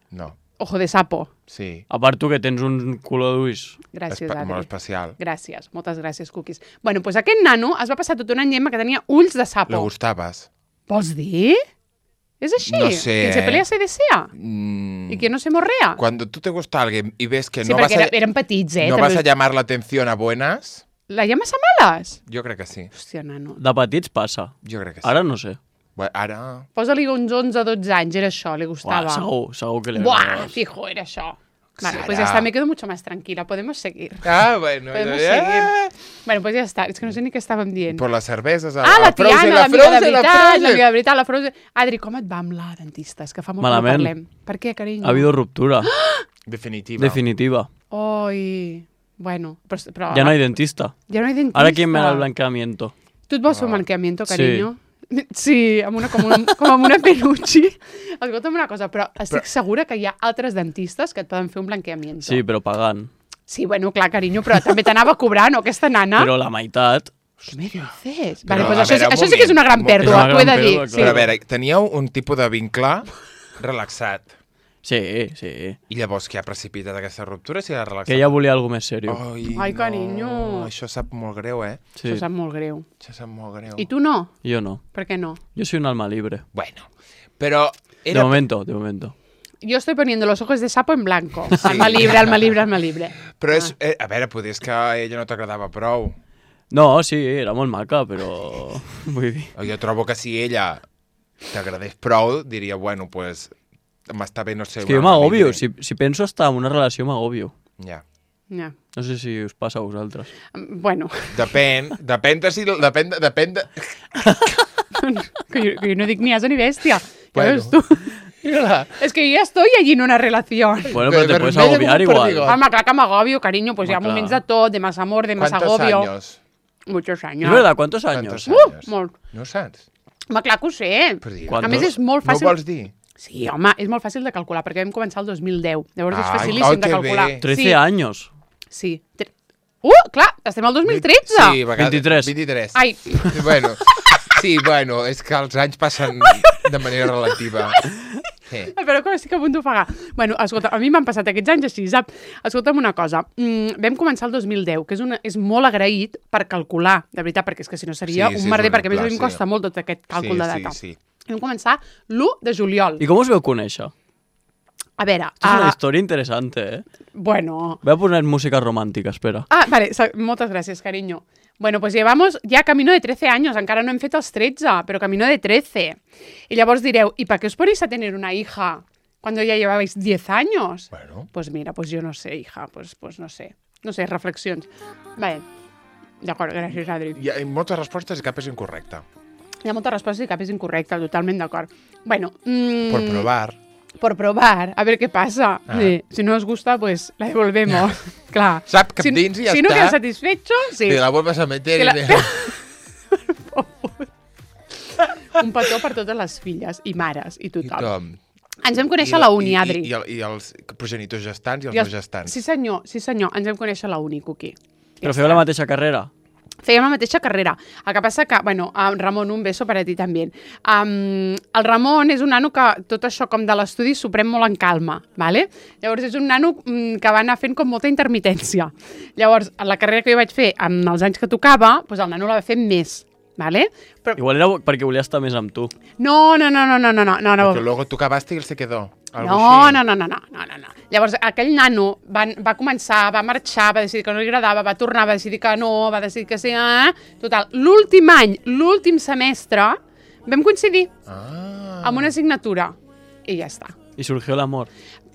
[SPEAKER 2] No.
[SPEAKER 1] Ojo de sapo.
[SPEAKER 2] Sí.
[SPEAKER 3] A part tu que tens un color d'ulls.
[SPEAKER 1] Gràcies, Adri.
[SPEAKER 2] Molt especial.
[SPEAKER 1] Gràcies, moltes gràcies, Cookies. Bueno, doncs aquest nano es va passar tot un any dient que tenia ulls de sapo.
[SPEAKER 2] Le gustaves.
[SPEAKER 1] Vols dir? ¿Es así?
[SPEAKER 2] No sé.
[SPEAKER 1] ¿Quien se pelea se desea? ¿Y que no se morrea?
[SPEAKER 2] Cuando tú te gusta alguien y ves que
[SPEAKER 1] sí,
[SPEAKER 2] no vas a...
[SPEAKER 1] eren petits,
[SPEAKER 2] no vas a llamar la atención a buenas...
[SPEAKER 1] ¿La llamas a malas?
[SPEAKER 2] Jo crec que sí.
[SPEAKER 1] Hòstia, nano.
[SPEAKER 3] De petits passa.
[SPEAKER 2] Jo crec que sí.
[SPEAKER 3] Ara no sé.
[SPEAKER 2] Bueno, ara...
[SPEAKER 1] Posa-li uns 11 o 12 anys, era això, li gustava.
[SPEAKER 3] Segur que le
[SPEAKER 1] Buah, fijo, era això. Vale, pues ya está, me quedo mucho más tranquila, podemos seguir.
[SPEAKER 2] Bueno.
[SPEAKER 1] Podemos seguir. Bueno, pues ya está, és que no sé ni què estàvem dient.
[SPEAKER 2] Por les cerveses,
[SPEAKER 1] la Tiana, l'amiga de veritat, la Frozen. Adri, com et va amb la dentista? És que fa molt que no parlem. Per què, carinyo?
[SPEAKER 3] Ha habido ruptura.
[SPEAKER 2] Definitiva.
[SPEAKER 1] Oi... Bueno, però...
[SPEAKER 3] Ja no hay dentista.
[SPEAKER 1] Ja no hay dentista.
[SPEAKER 3] Ara quién me da el blanqueamiento?
[SPEAKER 1] Tu et vols fer un blanqueamiento, carinyo? Sí, com amb una peluche. Escolta'm una cosa, però estic segura que hi ha altres dentistes que et poden fer un blanqueamiento.
[SPEAKER 3] Sí, però pagant.
[SPEAKER 1] Sí, bueno, clar, carinyo, però també t'anava cobrant, no, aquesta nana?
[SPEAKER 3] Però la meitat...
[SPEAKER 1] Què me dices? Vale, pues això sí que és una gran pèrdua, t'ho he de dir.
[SPEAKER 2] Però a veure, teníeu un tipus de vincle relaxat.
[SPEAKER 3] Sí.
[SPEAKER 2] I llavors què ha precipitat aquesta ruptura? Si
[SPEAKER 3] que ella volia alguna més seriós.
[SPEAKER 1] Ai, carinyo.
[SPEAKER 2] Això sap molt greu,
[SPEAKER 1] Sí. Això sap molt greu.
[SPEAKER 2] I
[SPEAKER 1] tu no?
[SPEAKER 3] Jo no.
[SPEAKER 1] Per què no?
[SPEAKER 3] Yo soy un alma libre.
[SPEAKER 2] Bueno, però...
[SPEAKER 3] De momento.
[SPEAKER 1] Yo estoy poniendo los ojos de sapo en blanco. Sí. Alma libre.
[SPEAKER 2] Però és... a veure, potser és que a ella no t'agradava prou.
[SPEAKER 3] No, sí, era molt maca, però... Vull dir...
[SPEAKER 2] Jo trobo que si ella t'agradés prou, diria, bueno, pues... M'està bé, no sé...
[SPEAKER 3] És que jo m'agobio. Si penso estar en una relació, m'agobio.
[SPEAKER 2] Ja.
[SPEAKER 3] No sé si us passa a vosaltres.
[SPEAKER 1] Bueno.
[SPEAKER 2] Depèn de...
[SPEAKER 1] que jo no dic ni asa ni bèstia. Bueno. Ja tu. Es que yo ya estoy allí en una relación.
[SPEAKER 3] Bueno, pero te puedes agobiar igual.
[SPEAKER 1] Home, clar que m'agobio, cariño. Pues hi ha moments de tot, de más amor, de más agobio.
[SPEAKER 2] ¿Cuántos años?
[SPEAKER 1] Muchos años.
[SPEAKER 3] ¿Es verdad? ¿Cuántos años?
[SPEAKER 1] Molt.
[SPEAKER 2] No ho saps?
[SPEAKER 1] Home, clar que ho sé. A més, és molt fàcil...
[SPEAKER 2] No ho vols dir?
[SPEAKER 1] Sí, home, és molt fàcil de calcular, perquè vam començar el 2010. Llavors és facilíssim de calcular.
[SPEAKER 3] 13 anys.
[SPEAKER 1] Sí. Clar, estem al 2013.
[SPEAKER 2] Sí,
[SPEAKER 3] 23.
[SPEAKER 1] Ai.
[SPEAKER 2] Bueno, és que els anys passen de manera relativa. Sí.
[SPEAKER 1] Però com estic a punt d'ofegar. Bueno, escolta, a mi m'han passat aquests anys així, saps? Escolta'm una cosa. Vam començar el 2010, que és molt agraït per calcular, de veritat, perquè és que si no seria un merder, perquè a més a mi em costa molt tot aquest càlcul de data.
[SPEAKER 2] Sí.
[SPEAKER 1] Vam començar l'1 de juliol.
[SPEAKER 3] I com us veu conèixer?
[SPEAKER 1] A veure...
[SPEAKER 3] És una història interessant,
[SPEAKER 1] Bueno...
[SPEAKER 3] Voy a poner música romàntica, espera.
[SPEAKER 1] Vale, moltes gràcies, cariño. Bueno, pues llevamos ya camino de 13 años, encara no hem fet els 13, però camino de 13. Y llavors direu, ¿y para qué os ponéis a tener una hija cuando ya llevabais 10 años?
[SPEAKER 2] Bueno.
[SPEAKER 1] Pues mira, pues yo no sé, hija, pues no sé. No sé, reflexions. Vale, d'acord, gràcies, Adri.
[SPEAKER 2] Hi ha moltes respostes i cap és incorrecta.
[SPEAKER 1] Hi ha moltes respostes i cap és incorrecta, totalment d'acord. Bueno...
[SPEAKER 2] Por probar.
[SPEAKER 1] A ver qué pasa. Sí, si no os gusta, pues la devolvemos. Clar.
[SPEAKER 2] Sap cap dins i ja
[SPEAKER 1] si
[SPEAKER 2] està.
[SPEAKER 1] Si no queda satisfecho, sí.
[SPEAKER 2] Te la vuelves a meter.
[SPEAKER 1] Un petó per totes les filles i mares i tothom. Ens vam
[SPEAKER 2] a
[SPEAKER 1] conèixer a la uni, Adri.
[SPEAKER 2] I els progenitors gestants i els no gestants.
[SPEAKER 1] Sí, senyor. Ens vam conèixer a la uni, Cuqui.
[SPEAKER 3] Però feu la mateixa carrera?
[SPEAKER 1] Fèiem la mateixa carrera. El que passa que, bueno, Ramon, un beso per a ti també. El Ramon és un nano que tot això com de l'estudi s'ho pren molt en calma, ¿vale? Llavors és un nano que va anar fent com molta intermitència. Llavors, la carrera que jo vaig fer amb els anys que tocava, doncs el nano la va fer més. vale?
[SPEAKER 3] Però... Igual era perquè volia estar més amb tu.
[SPEAKER 1] No.
[SPEAKER 2] Perquè luego tu acabaste y él se quedó.
[SPEAKER 1] No. Llavors, aquell nano va començar, va marxar, va decidir que no li agradava, va tornar, va decidir que no, va decidir que sí... Total, l'últim any, l'últim semestre, vam coincidir amb una assignatura i ja està.
[SPEAKER 3] I surgió l'amor.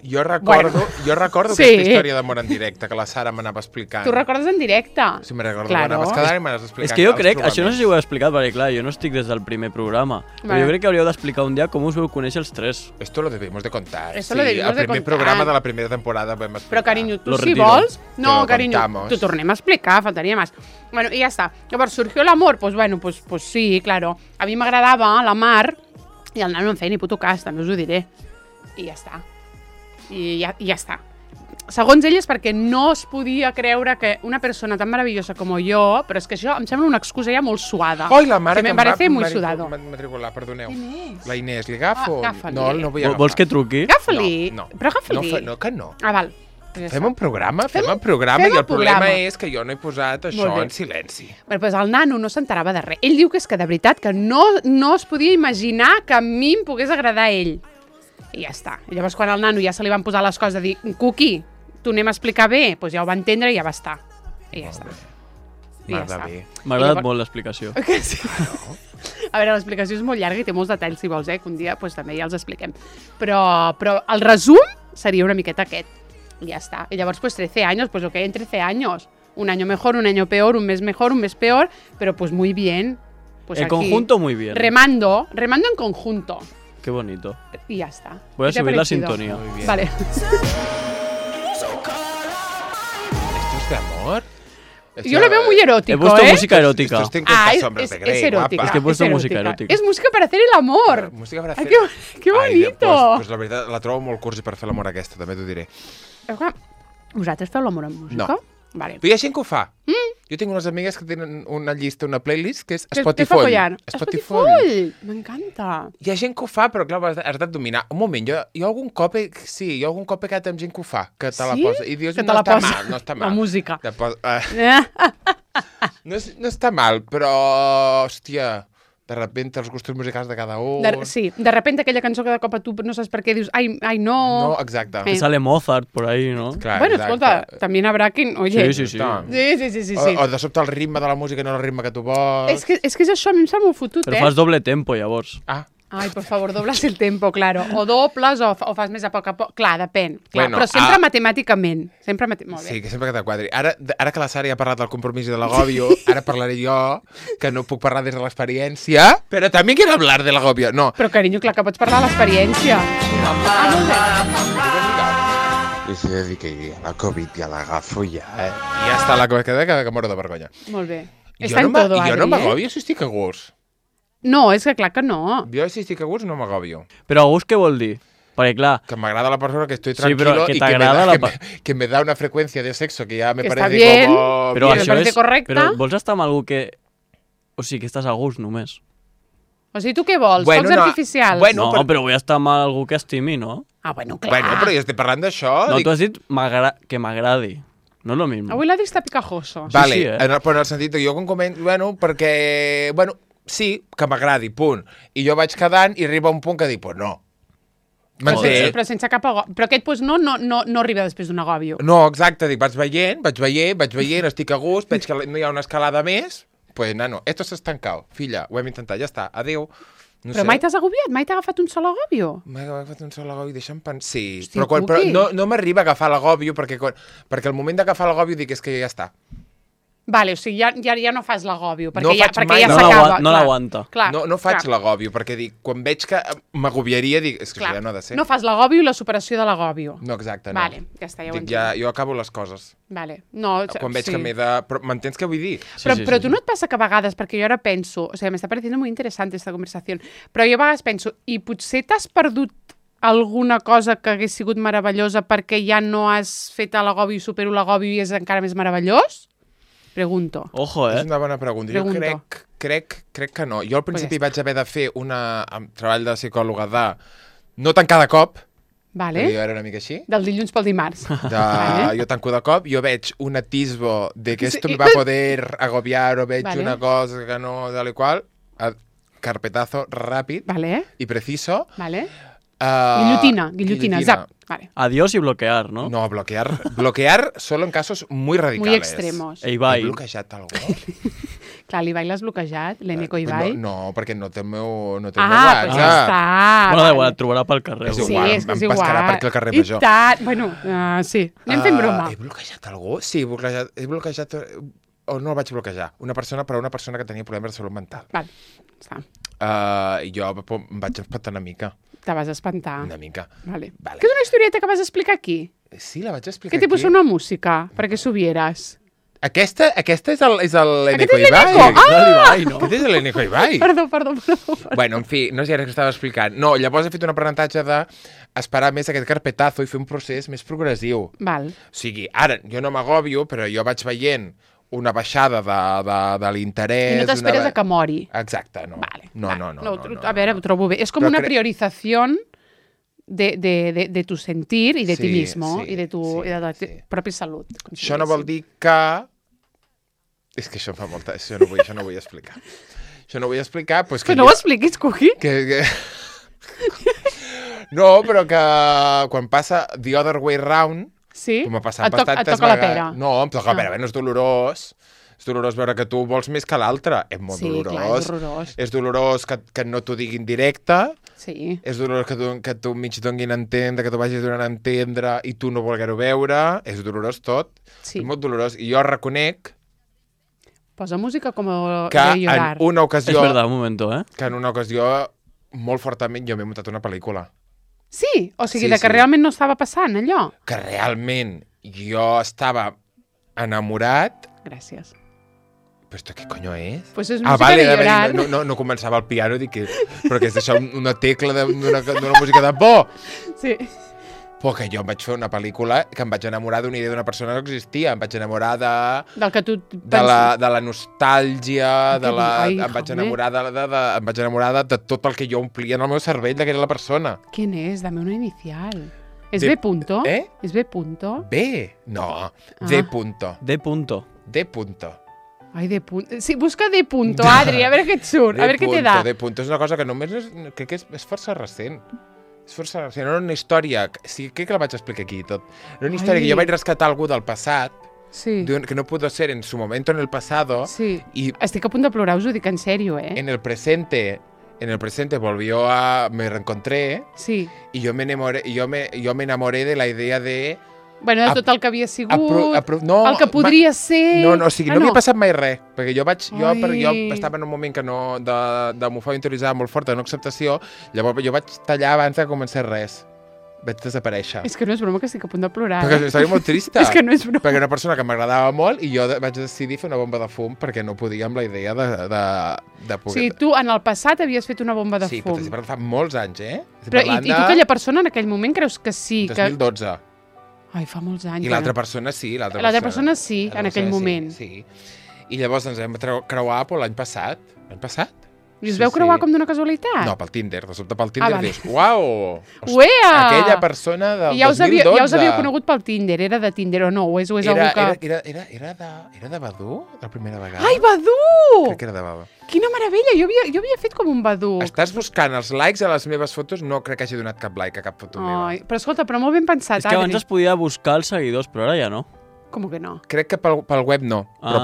[SPEAKER 2] Jo recordo aquesta història d'amor en directe, que la Sara m'anava explicant.
[SPEAKER 1] Tu recordes en directe?
[SPEAKER 2] Sí, me'n recordo. Claro. Anaves quedant i m'anaves explicant.
[SPEAKER 3] És que jo crec, això no sé si ho he explicat, perquè clar, jo no estic des del primer programa, però jo crec que hauríeu d'explicar un dia com us veu conèixer els tres.
[SPEAKER 2] Esto lo debemos de contar.
[SPEAKER 1] Esto lo debemos de contar.
[SPEAKER 2] El primer programa de la primera temporada vam explicar.
[SPEAKER 1] Però, carinyo, tu si vols... No, carinyo, t'ho tornem a explicar, faltaria més. Bueno, i ja està. Llavors, surgió l'amor? Pues bueno, pues sí, claro. A mi m'agradava la Mar i el nano no em feia ni puto cas, també us ho diré. I ja està. I ja està. Segons ell és perquè no es podia creure que una persona tan meravellosa com jo, però és que això em sembla una excusa ja molt suada.
[SPEAKER 2] Oi, la mare que em
[SPEAKER 1] va
[SPEAKER 2] matricular, perdoneu.
[SPEAKER 1] Inés.
[SPEAKER 2] La Inés, li agafo?
[SPEAKER 1] Agafa-li.
[SPEAKER 2] No vull agafar.
[SPEAKER 3] Vols que truqui?
[SPEAKER 1] Agafa-li.
[SPEAKER 2] No.
[SPEAKER 1] Però agafa-li.
[SPEAKER 2] No, que no.
[SPEAKER 1] Val.
[SPEAKER 2] Fem un programa i el problema és que jo no he posat això en silenci.
[SPEAKER 1] Bé, doncs el nano no s'enterava de res. Ell diu que és que de veritat que no es podia imaginar que a mi em pogués agradar ell. I ja està. I llavors quan al nano ja se li van posar les coses de dir Cuqui, t'ho anem a explicar bé, doncs ja ho va entendre i ja va estar. I ja està.
[SPEAKER 3] M'ha agradat molt l'explicació.
[SPEAKER 1] Sí. A veure, l'explicació és molt llarga i té molts detalls, si vols, que un dia també ja els expliquem. Però el resum seria una miqueta aquest. I ja està. Y llavors, pues 13 años, pues lo que hay en 13 años. Un año mejor, un año peor, un mes mejor, un mes peor, pero pues muy bien. Pues
[SPEAKER 3] en
[SPEAKER 1] aquí,
[SPEAKER 3] conjunto muy bien.
[SPEAKER 1] Remando en conjunto.
[SPEAKER 3] Qué bonito.
[SPEAKER 1] Y ya está.
[SPEAKER 3] Voy a subir la sintonía.
[SPEAKER 2] Muy bien.
[SPEAKER 1] Vale.
[SPEAKER 2] ¿Esto es de amor?
[SPEAKER 1] Yo lo veo muy erótico,
[SPEAKER 3] He puesto música erótica.
[SPEAKER 2] Esto
[SPEAKER 1] es erótica.
[SPEAKER 3] Es que he puesto música erótica.
[SPEAKER 1] Es música para hacer el amor.
[SPEAKER 2] Música para hacer...
[SPEAKER 1] Qué bonito.
[SPEAKER 2] Pues la veritat, la trobo molt cursi per fer l'amor aquesta, també t'ho diré.
[SPEAKER 1] Vosaltres feu l'amor amb música?
[SPEAKER 2] No.
[SPEAKER 1] Vale.
[SPEAKER 2] Però hi ha gent que ho fa. Jo tinc unes amigues que tenen una llista, una playlist, que és
[SPEAKER 1] Spotify. Spotify! M'encanta.
[SPEAKER 2] Hi ha gent que ho fa, però clar, has de dominar. Un moment, jo algun cop he quedat amb gent que ho fa, que te la posa. I dius, no està mal.
[SPEAKER 1] La música.
[SPEAKER 2] No està mal, però, hòstia... De repente els gustos musicals de cada un...
[SPEAKER 1] Sí, de repente aquella cançó que de cop a tu no saps per què dius ai no...
[SPEAKER 2] No, exacte.
[SPEAKER 3] Sale Mozart por ahí, ¿no?
[SPEAKER 2] Clar,
[SPEAKER 1] bueno,
[SPEAKER 2] exacte.
[SPEAKER 1] Escolta, también habrá quien... Oye.
[SPEAKER 3] Sí.
[SPEAKER 1] Sí.
[SPEAKER 2] O de sobte el ritme de la música no és el ritme que tu vols...
[SPEAKER 1] És que és això, a mi em sembla molt fotut,
[SPEAKER 3] Però fas doble tempo, llavors.
[SPEAKER 1] Ai, por favor, doblas el tempo, claro. O dobles o fas més a poc a poc. Clar, depèn. Clar,
[SPEAKER 2] bueno,
[SPEAKER 1] però sempre matemàticament. Molt bé.
[SPEAKER 2] Sí, que sempre que t'quadri. Ara que la Sara ja ha parlat del compromís i de l'agòbio, ara parlaré jo, que no puc parlar des de l'experiència, però també quiero hablar de l'agòbio. No.
[SPEAKER 1] Però, carinyo, clar que pots parlar de l'experiència.
[SPEAKER 2] I se dedica a la Covid i a l'agafo ja, I ja està la Covid, que moro de vergonya.
[SPEAKER 1] Molt bé.
[SPEAKER 2] Jo no m'agòbio si estic a gust.
[SPEAKER 1] No, és que clar que no.
[SPEAKER 2] Jo si estic a gust no m'agòbio.
[SPEAKER 3] Però a gust què vol dir? Perquè clar...
[SPEAKER 2] Que m'agrada la persona que estoy tranquilo
[SPEAKER 3] que
[SPEAKER 2] y que me da una frecuencia de sexo que ya me parece
[SPEAKER 1] bien,
[SPEAKER 2] como...
[SPEAKER 3] Però això és
[SPEAKER 1] correcte.
[SPEAKER 3] Però vols estar amb algú que... O sigui, que estàs a gust només.
[SPEAKER 1] O sigui, tu què vols? Focs artificials?
[SPEAKER 3] Bueno, però vull estar amb algú que estimi, no?
[SPEAKER 1] Bueno, clar.
[SPEAKER 2] Bueno, però jo estic parlant d'això.
[SPEAKER 3] No, tu has dit que m'agradi. No és lo mismo.
[SPEAKER 1] Avui l'ha dit està picajoso.
[SPEAKER 2] Vale, sí, però en el sentit que jo com comento... Bueno, perquè... Bueno, sí, que m'agradi, punt. I jo vaig quedant i arriba un punt que dic, pues no.
[SPEAKER 1] Però sense cap agòbio. Però aquest pues, no arriba després d'un agòbio.
[SPEAKER 2] No, exacte, dic, vaig veient, estic a gust, veig que no hi ha una escalada més, pues nano, esto s'ha estancat, filla, ho hem intentat, ja està, adéu. No
[SPEAKER 1] però mai t'has agobiat? Mai t'ha agafat un sol agòbio?
[SPEAKER 2] M'ha agafat un sol agòbio, deixa'm pensar... Sí, però no m'arriba a agafar l'agòbio perquè el moment d'agafar l'agòbio dic és que ja està.
[SPEAKER 1] Vale, o sigui, ja no fas l'agòbio, perquè ja
[SPEAKER 3] s'acaba. No l'aguanta.
[SPEAKER 2] No faig l'agòbio, perquè dic, quan veig que m'agobiaria, dic, és que això ja no ha de ser.
[SPEAKER 1] No fas l'agòbio i la superació de l'agòbio.
[SPEAKER 2] No, exacte, no.
[SPEAKER 1] Vale, ja està, ja ho entenc.
[SPEAKER 2] Jo acabo les coses.
[SPEAKER 1] Vale. No,
[SPEAKER 2] quan veig que m'he de... M'entens què vull dir?
[SPEAKER 1] Però tu no et passa que a vegades, perquè jo ara penso, o sigui, m'està pareciendo muy interesante esta conversación, però jo a vegades penso, i potser t'has perdut alguna cosa que hagués sigut meravellosa perquè ja no has fet l'agòbio i supero l'agòbio i és encara més meravellós? Pregunto.
[SPEAKER 3] Ojo,
[SPEAKER 2] És una bona pregunta. Jo crec que no. Jo al principi vaig haver de fer un treball de psicòloga de no tant cada cop,
[SPEAKER 1] Vale.
[SPEAKER 2] Era una mica així.
[SPEAKER 1] Del dilluns pel dimarts.
[SPEAKER 2] Jo tanco de cop, jo veig un atisbo de que esto me va a poder agobiar o veig una cosa que no, tal i qual, carpetazo ràpid i preciso.
[SPEAKER 1] Vale. Guillotina, zap.
[SPEAKER 3] Vale. Adiós y bloquear, ¿no?
[SPEAKER 2] No, bloquear solo en casos muy radicales.
[SPEAKER 1] Muy extremos.
[SPEAKER 3] Ibai.
[SPEAKER 2] He bloquejat algú?
[SPEAKER 1] Clar, l'Ibai l'has bloquejat, l'Eneco Ibai.
[SPEAKER 2] No, perquè no té el meu
[SPEAKER 1] WhatsApp. Pues ja està.
[SPEAKER 3] Bueno, igual, et trobarà pel carrer.
[SPEAKER 1] Sí, és que és igual.
[SPEAKER 2] Em pescarà per aquí al carrer Major.
[SPEAKER 1] I tant. Bueno, sí. Anem fent broma.
[SPEAKER 2] He bloquejat algú? Sí, he bloquejat... O no el vaig bloquejar. Una persona que tenia problemes de salut mental.
[SPEAKER 1] Val, està.
[SPEAKER 2] I jo em vaig espantar una mica.
[SPEAKER 1] Te vas espantar.
[SPEAKER 2] Una mica.
[SPEAKER 1] Vale. Que és una historieta que vas explicar aquí?
[SPEAKER 2] Sí, la vaig explicar
[SPEAKER 1] aquí. Què tipus una música? Perquè s'ho vieres.
[SPEAKER 2] Aquesta és l'Eneco Ibai. Aquest és l'Eneco Ibai.
[SPEAKER 1] Perdó.
[SPEAKER 2] Bueno, en fi, no sé ara què estava explicant. No, llavors he fet un aprenentatge d'esperar més aquest carpetazo i fer un procés més progressiu.
[SPEAKER 1] Val.
[SPEAKER 2] O sigui, ara, jo no m'agòbio, però jo vaig veient una baixada de l'interès...
[SPEAKER 1] I no t'esperes a que mori.
[SPEAKER 2] Exacte, no.
[SPEAKER 1] Vale.
[SPEAKER 2] No.
[SPEAKER 1] A veure, ho trobo bé. És com una priorizació de tu sentir i de ti mismo i de tu de tu pròpia salut.
[SPEAKER 2] Això no vol dir que... És que això em fa molta... Això no vull explicar. Això no vull explicar... Pues
[SPEAKER 1] que no ho expliquis, Cuqui.
[SPEAKER 2] No, però que quan passa The Other Way Round...
[SPEAKER 1] Sí?
[SPEAKER 2] Et toca
[SPEAKER 1] la pera.
[SPEAKER 2] No, em toca la pera. No és dolorós. És dolorós veure que tu vols més que l'altre. És molt dolorós.
[SPEAKER 1] Clar, és horrorós.
[SPEAKER 2] És dolorós que no t'ho diguin directe.
[SPEAKER 1] Sí.
[SPEAKER 2] És dolorós que tu mig donguin a entendre, que tu vagis donant a entendre i tu no volguer-ho veure. És dolorós tot.
[SPEAKER 1] Sí.
[SPEAKER 2] És molt dolorós. I jo reconec...
[SPEAKER 1] Posa música com de
[SPEAKER 2] Que
[SPEAKER 1] llorar.
[SPEAKER 2] en una ocasió...
[SPEAKER 3] És verdad, un momento,
[SPEAKER 2] Que en una ocasió, molt fortament, jo m'he muntat una pel·lícula.
[SPEAKER 1] Sí? O sigui, que realment no estava passant, allò?
[SPEAKER 2] Que realment jo estava enamorat...
[SPEAKER 1] Gràcies.
[SPEAKER 2] Però esto què coño és?
[SPEAKER 1] Pues és música de llorar.
[SPEAKER 2] No començava el piano, dic que... Però que és això una tecla d'una música de por.
[SPEAKER 1] Sí.
[SPEAKER 2] Però que jo em vaig fer una pel·lícula que em vaig enamorar d'una idea d'una persona que existia. Em vaig enamorar
[SPEAKER 1] del que tu
[SPEAKER 2] de la nostàlgia, em vaig enamorar de tot el que jo omplia en el meu cervell de que era la persona.
[SPEAKER 1] Quin és? Dame una inicial. ¿Es B punto? ¿Es B punto?
[SPEAKER 2] B? No. D punto.
[SPEAKER 3] D punto.
[SPEAKER 2] D punto.
[SPEAKER 1] Ai, D punto. Sí, busca D punto, Adri, a veure què et surt, a veure què te da.
[SPEAKER 2] D punto és una cosa que només crec que és força recent. És força recent. Era una història... Sí, crec que la vaig explicar aquí tot. Era una història que jo vaig rescatar algú del passat, que no pudo ser en su momento en el pasado.
[SPEAKER 1] Sí. Estic a punt de plorar, us ho dic en sèrio,
[SPEAKER 2] En el presente volvió me reencontré.
[SPEAKER 1] Sí.
[SPEAKER 2] Y yo me enamoré de la idea de...
[SPEAKER 1] Bueno, de tot el que havia sigut, el que podria ser...
[SPEAKER 2] No, o sigui, no havia passat mai res, perquè jo estava en un moment que no, d'homofòbia interioritzada molt forta, de no acceptació, llavors jo vaig tallar abans de començar res. Vaig desaparèixer.
[SPEAKER 1] És que no és broma, que estic a punt de plorar.
[SPEAKER 2] Perquè és una història molt trista.
[SPEAKER 1] És que no és broma.
[SPEAKER 2] Perquè era una persona que m'agradava molt i jo vaig decidir fer una bomba de fum perquè no podia amb la idea de poder...
[SPEAKER 1] O sigui, tu en el passat havies fet una bomba de fum.
[SPEAKER 2] Sí, però fa molts anys,
[SPEAKER 1] Però, i tu aquella persona en aquell moment creus que sí?
[SPEAKER 2] 2012.
[SPEAKER 1] Ai, fa molts anys.
[SPEAKER 2] I l'altra persona sí.
[SPEAKER 1] L'altra persona sí, en aquell moment.
[SPEAKER 2] Sí. I llavors ens vam creuar l'any passat. L'any passat?
[SPEAKER 1] I us veu creuar com d'una casualitat?
[SPEAKER 2] No, pel Tinder. De sobte pel Tinder dius, uau!
[SPEAKER 1] Uea!
[SPEAKER 2] Aquella persona del 2012.
[SPEAKER 1] Ja us havia conegut pel Tinder. Era de Tinder o no? O és algú que...
[SPEAKER 2] Era de Badoo, la primera vegada?
[SPEAKER 1] Ai, Badoo!
[SPEAKER 2] Crec que era de Badoo.
[SPEAKER 1] Quina meravella! Jo havia fet com un Badoo.
[SPEAKER 2] Estàs buscant els likes a les meves fotos? No crec que hagi donat cap like a cap foto meva.
[SPEAKER 1] Però escolta, però molt ben pensat,
[SPEAKER 3] És que abans es podia buscar els seguidors, però ara ja no.
[SPEAKER 1] Com que no?
[SPEAKER 2] Crec que pel web no, però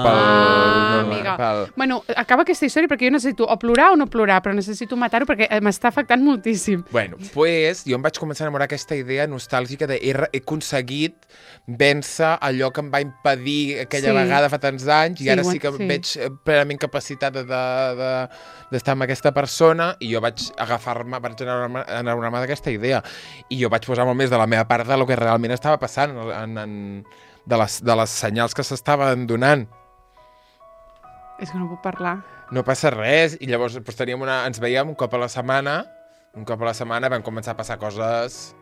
[SPEAKER 1] amiga. Bueno, acaba aquesta història perquè jo necessito o plorar o no plorar, però necessito matar-ho perquè m'està afectant moltíssim.
[SPEAKER 2] Bueno, pues jo em vaig començar a enamorar aquesta idea nostàlgica de he aconseguit vèncer allò que em va impedir aquella vegada fa tants anys i ara sí que veig plenament capacitat d'estar amb aquesta persona i jo vaig vaig enamorar-me d'aquesta idea i jo vaig posar molt més de la meva part de lo que realment estava passant de les senyals que s'estaven donant.
[SPEAKER 1] És que no puc parlar.
[SPEAKER 2] No passa res. I llavors ens veiem un cop a la setmana. Un cop a la setmana vam començar a passar coses...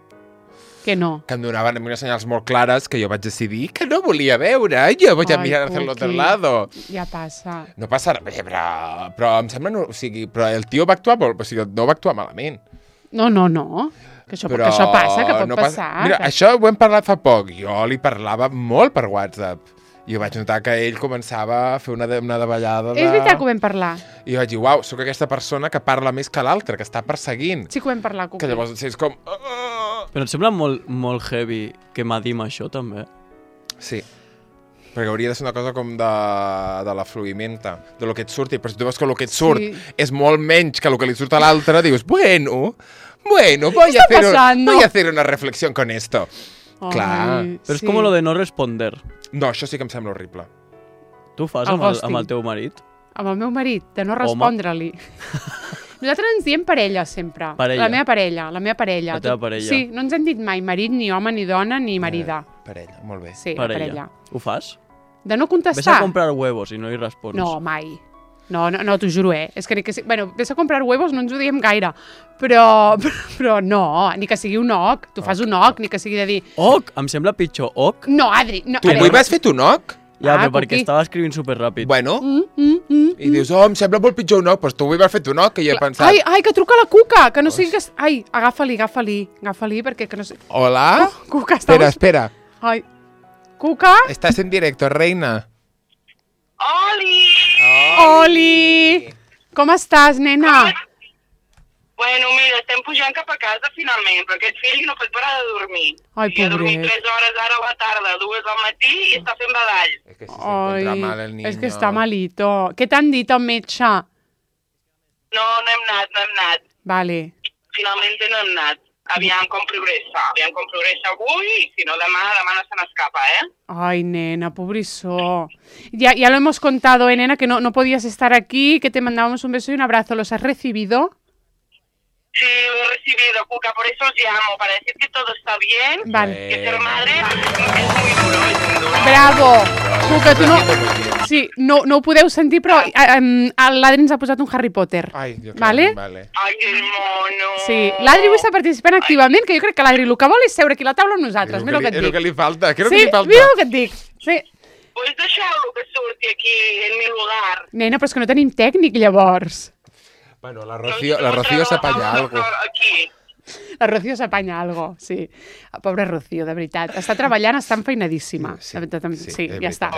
[SPEAKER 1] Que no.
[SPEAKER 2] Que em donaven unes senyals molt clares que jo vaig decidir que no volia veure. Jo vaig a mirar hacia el otro lado.
[SPEAKER 1] Ja passa.
[SPEAKER 2] No passa res, però em sembla... O sigui, però el tio va actuar molt... O sigui, no va actuar malament.
[SPEAKER 1] No. Que això passa, que pot passar.
[SPEAKER 2] Mira, això ho hem parlat fa poc. Jo li parlava molt per WhatsApp. I jo vaig notar que ell començava a fer una davallada de...
[SPEAKER 1] És veritat que ho vam parlar.
[SPEAKER 2] I jo vaig dir, uau, sóc aquesta persona que parla més que l'altra, que està perseguint.
[SPEAKER 1] Sí que ho vam parlar, Cuqui.
[SPEAKER 2] Que llavors és com...
[SPEAKER 3] Però et sembla molt heavy que m'adim això, també?
[SPEAKER 2] Sí. Perquè hauria de ser una cosa com de la fluïmenta, de lo que et surti. Però si tu veus que el que et surt és molt menys que el que li surt a l'altre, dius, bueno, voy a hacer una reflexión con esto. Clar.
[SPEAKER 3] Però és com lo de no responder.
[SPEAKER 2] No, això sí que em sembla horrible.
[SPEAKER 3] Tu ho fas amb el teu marit?
[SPEAKER 1] Amb el meu marit, de no respondre-li. Nosaltres ens diem parella, sempre. La meva parella.
[SPEAKER 3] La teva parella.
[SPEAKER 1] Sí, no ens hem dit mai marit, ni home, ni dona, ni marida.
[SPEAKER 2] Parella, molt bé.
[SPEAKER 1] Sí, parella.
[SPEAKER 3] Ho fas?
[SPEAKER 1] De no contestar.
[SPEAKER 3] Ves a comprar huevos i no hi respons.
[SPEAKER 1] No, mai. No, t'ho juro, És que sí. Bueno, ves a comprar huevos no ens ho diem gaire. Però no, ni que sigui un oc. Tu fas un oc, ni que sigui de dir...
[SPEAKER 3] Oc? Em sembla pitjor. Oc?
[SPEAKER 1] No, Adri. No,
[SPEAKER 2] tu avui vas fer un oc?
[SPEAKER 3] Ja, però perquè estava escrivint superràpid.
[SPEAKER 2] Bueno, i dius, em sembla molt pitjor un oc, però tu avui vas fer un oc, que jo he pensat...
[SPEAKER 1] Ai, que truca la Cuca, que no sigui que... Ai, agafa-li, perquè que no sé...
[SPEAKER 2] Hola?
[SPEAKER 1] Cuca, estamos...
[SPEAKER 2] Espera.
[SPEAKER 1] Ai, Cuca?
[SPEAKER 2] Estás en directo, reina.
[SPEAKER 1] Oli! Com estàs, nena?
[SPEAKER 5] Bueno, mira, estem pujant cap a casa finalment, però aquest fill no pot parar de dormir.
[SPEAKER 1] Ai, pobret.
[SPEAKER 5] I ha dormit 3 hores ara a la tarda, 2 al matí i està fent badall.
[SPEAKER 2] Es que se encuentra mal el niño.
[SPEAKER 1] És que està malito. Què t'han dit el metge?
[SPEAKER 5] No hem anat.
[SPEAKER 1] Vale.
[SPEAKER 5] Finalment no hem anat. Aviam com progressa avui, i si no demà no se n'escapa,
[SPEAKER 1] Ay, nena, pobrissó. Ya lo hemos contado, nena, que no podías estar aquí, que te mandábamos un beso y un abrazo. ¿Los has recibido?
[SPEAKER 5] Sí, lo he recibido, Cuca, por eso os llamo, para decir que todo está bien,
[SPEAKER 1] vale.
[SPEAKER 5] Que ser madre es muy duro.
[SPEAKER 1] Bravo! Cuca, tu no... Sí, no ho podeu sentir, però l'Adri ens ha posat un Harry Potter.
[SPEAKER 2] Ai,
[SPEAKER 1] vale?
[SPEAKER 5] Ai, que mono!
[SPEAKER 1] Sí, l'Adri avui està participant activament, que jo crec que l'Adri el que vol és seure aquí a la taula amb nosaltres. Mira el que et dic.
[SPEAKER 2] És el que li falta,
[SPEAKER 1] mira el que et dic. Sí.
[SPEAKER 5] Pues deixeu-lo que surti aquí, en mi lugar.
[SPEAKER 1] Nena, però és que no tenim tècnic, llavors.
[SPEAKER 2] Bueno, la Rocío s'apanya algo.
[SPEAKER 1] La Rocío s'apanya algo, sí. Pobra Rocío, de veritat. Està treballant, està enfeinadíssima. Sí, ja està.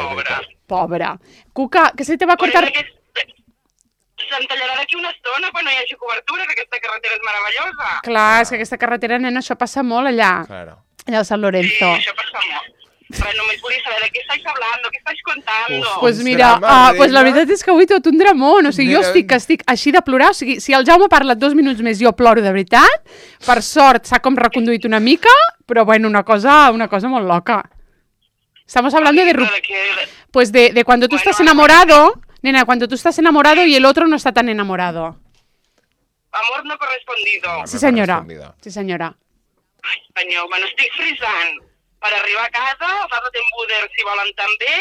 [SPEAKER 1] Pobra. Cuca, què se te va cortar...
[SPEAKER 5] Se'm tallarà d'aquí una estona quan no hi hagi cobertura, que aquesta carretera és meravellosa.
[SPEAKER 1] Clar, és que aquesta carretera, nena, això passa molt allà.
[SPEAKER 2] Claro.
[SPEAKER 1] Allà al San Lorenzo.
[SPEAKER 5] Sí, això passa molt. Però només volia saber de què estáis hablando, què estáis contando.
[SPEAKER 1] Pues mira, pues la veritat és que avui tot un dramón. O sigui, jo estic així de plorar. O sigui, si el Jaume parla 2 minuts més, jo ploro de veritat. Per sort, s'ha com reconduït una mica, però bueno, una cosa molt loca. Estamos hablando pues de cuando tú estás enamorado, nena, cuando tú estás enamorado y el otro no está tan enamorado.
[SPEAKER 5] Amor no correspondido.
[SPEAKER 1] Sí, senyora. Sí, senyora.
[SPEAKER 5] Ai, senyor, me n'estic frisant. Per arribar a casa, agafar l'embuder si volen també,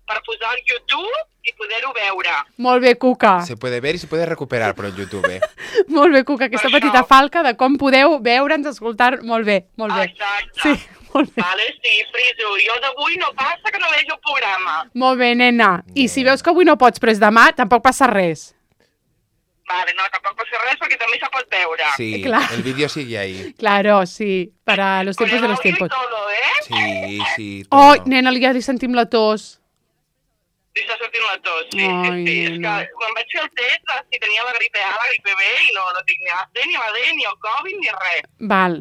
[SPEAKER 5] per posar al YouTube i poder-ho veure.
[SPEAKER 1] Molt bé, Cuca.
[SPEAKER 2] Se puede ver i se puede recuperar per el YouTube.
[SPEAKER 1] Molt bé, Cuca, aquesta petita falca de com podeu veure'ns, escoltar, molt bé, molt bé.
[SPEAKER 5] Exacte.
[SPEAKER 1] Sí, molt bé.
[SPEAKER 5] Vale, sí, friso. Jo d'avui no passa que no vegi el programa.
[SPEAKER 1] Molt bé, nena. I si veus que avui no pots, però és demà, tampoc passa res.
[SPEAKER 5] Vale, no, tampoc passa res perquè també se pot veure.
[SPEAKER 2] Sí, el vídeo sigue ahí.
[SPEAKER 1] Claro, sí, para los tiempos de los tiempos.
[SPEAKER 5] Todo,
[SPEAKER 2] Sí.
[SPEAKER 1] Todo. Oh, nena, ja li sentim la tos.
[SPEAKER 5] Li està sortint la tos, sí. És que quan vaig fer el test, si tenia la gripe A, la gripe B, i no tinc ni la C, ni la D, ni el Covid, ni res.
[SPEAKER 1] Val.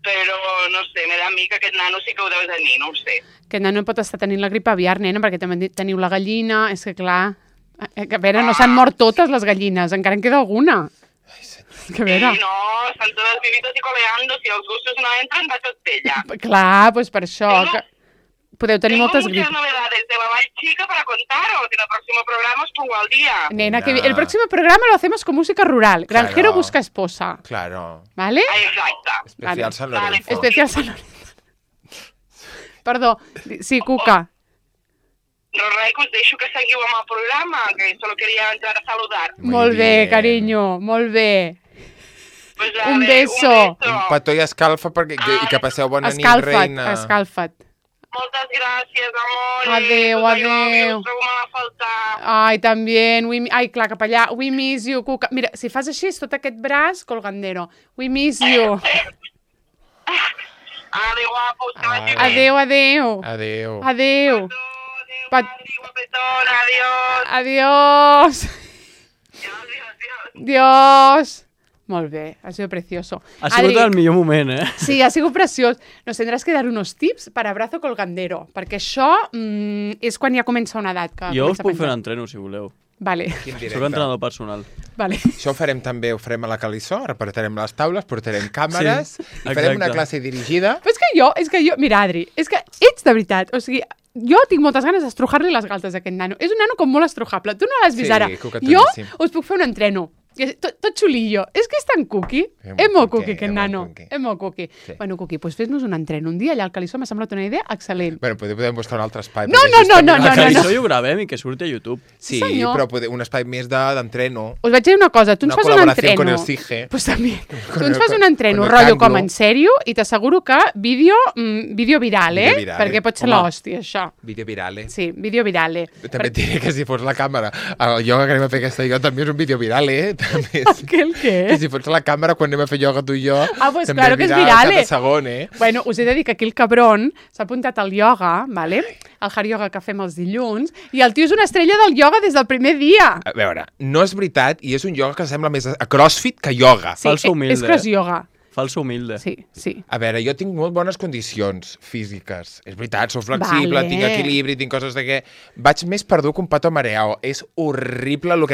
[SPEAKER 5] Però, no sé, me da a mi que aquest nano sí que ho deu tenir, no ho sé.
[SPEAKER 1] Aquest nano pot estar tenint la gripe aviar, nena, perquè també teniu la gallina, és que clar... A veure, no s'han mort totes les gallines, encara en queda alguna.
[SPEAKER 2] Ai, senyor.
[SPEAKER 1] Que a veure...
[SPEAKER 5] Sí, no, estan totes vivitos y coleando, si els gustos no entren, va tot pella.
[SPEAKER 1] Clar, doncs per això, que podeu tenir moltes gripes.
[SPEAKER 5] Tengo muchas novedades de la Vall Chica para contaros, en el próximo programa os pongo al día.
[SPEAKER 1] Nena, que el próximo programa lo hacemos con música rural. Granjero busca esposa.
[SPEAKER 2] Claro.
[SPEAKER 1] ¿Vale?
[SPEAKER 5] Exacte.
[SPEAKER 2] Especial San Lorenzo.
[SPEAKER 1] Especial San Lorenzo. Perdó, sí, Cuca.
[SPEAKER 5] No res, que us deixo que seguiu amb el programa, que solo quería entrar a saludar.
[SPEAKER 1] Molt bé, carinyo, molt bé.
[SPEAKER 5] Pues
[SPEAKER 1] un beso.
[SPEAKER 2] Un petó i escalfa i que passeu bona nit, reina.
[SPEAKER 1] Escalfa't.
[SPEAKER 5] Moltes gràcies, amor.
[SPEAKER 1] Adéu.
[SPEAKER 5] Us trobo molt a faltar.
[SPEAKER 1] Ai, també. Ai, clar, cap allà. We miss you, Cuca. Mira, si fas així, és tot aquest braç, colgandero. We miss you.
[SPEAKER 5] Adéu, guapos.
[SPEAKER 1] Adéu.
[SPEAKER 2] Adéu.
[SPEAKER 1] Adéu.
[SPEAKER 5] Guapetona, adiós.
[SPEAKER 1] Adiós. Dios. Molt bé, ha sido precioso.
[SPEAKER 3] Ha sigut el millor moment, eh?
[SPEAKER 1] Sí, ha sigut preciós. Nos tendrás que dar unos tips per abrazo colgandero, perquè això és quan ja comença una edat. Que
[SPEAKER 3] jo us puc fer un entreno, si voleu.
[SPEAKER 1] Vale.
[SPEAKER 3] Soc entrenador personal.
[SPEAKER 1] Vale.
[SPEAKER 2] Això ho farem també, ho farem a la Calissó, repartirem les taules, portarem càmeres, i farem una classe dirigida.
[SPEAKER 1] Però és que jo, mira, Adri, és que ets de veritat, o sigui, jo tinc moltes ganes d'estrujar-li les galtes a aquest nano. És un nano com molt estrujable. Tu no l'has vist ara. Jo us puc fer un entreno. Tot xulillo. És que és tan cuqui. És molt cuqui, aquest nano. És molt cuqui. Bueno, cuqui, doncs fes-nos un entreno. Un dia allà al Calissó m'ha semblat una idea excel·lent.
[SPEAKER 2] Bueno, podem buscar un altre espai.
[SPEAKER 1] No.
[SPEAKER 3] Al Calissó hi ho gravem i que surti a YouTube.
[SPEAKER 2] Sí, però un espai més d'entreno.
[SPEAKER 1] Us vaig dir una cosa, tu ens fas un entreno.
[SPEAKER 2] Con el CIGE.
[SPEAKER 1] Pues també. Tu ens fas un entreno, rotllo com en sèrio, i t'asseguro que vídeo viral, perquè pot ser l'hòstia, això.
[SPEAKER 2] Vídeo virale.
[SPEAKER 1] Sí, vídeo virale.
[SPEAKER 2] També et diré que si fos la càmera, el ioga que anem a fer aquesta jo també és un vídeo virale,
[SPEAKER 1] El què?
[SPEAKER 2] I si fots la càmera quan anem a fer ioga tu i jo,
[SPEAKER 1] pues
[SPEAKER 2] també
[SPEAKER 1] claro que és viral,
[SPEAKER 2] cada segon,
[SPEAKER 1] Bueno, us he de dir que aquí el cabron s'ha apuntat al ioga, vale? El hard yoga que fem els dilluns, i el tio és una estrella del ioga des del primer dia.
[SPEAKER 2] A veure, no és veritat, i és un ioga que sembla més a crossfit que ioga.
[SPEAKER 1] Sí, és cross yoga.
[SPEAKER 3] Falso humilde.
[SPEAKER 1] Sí.
[SPEAKER 2] A veure, jo tinc molt bones condicions físiques. És veritat, soc flexible, tinc equilibri, tinc coses de què... Vaig més perdut que un pato mareao. És horrible lo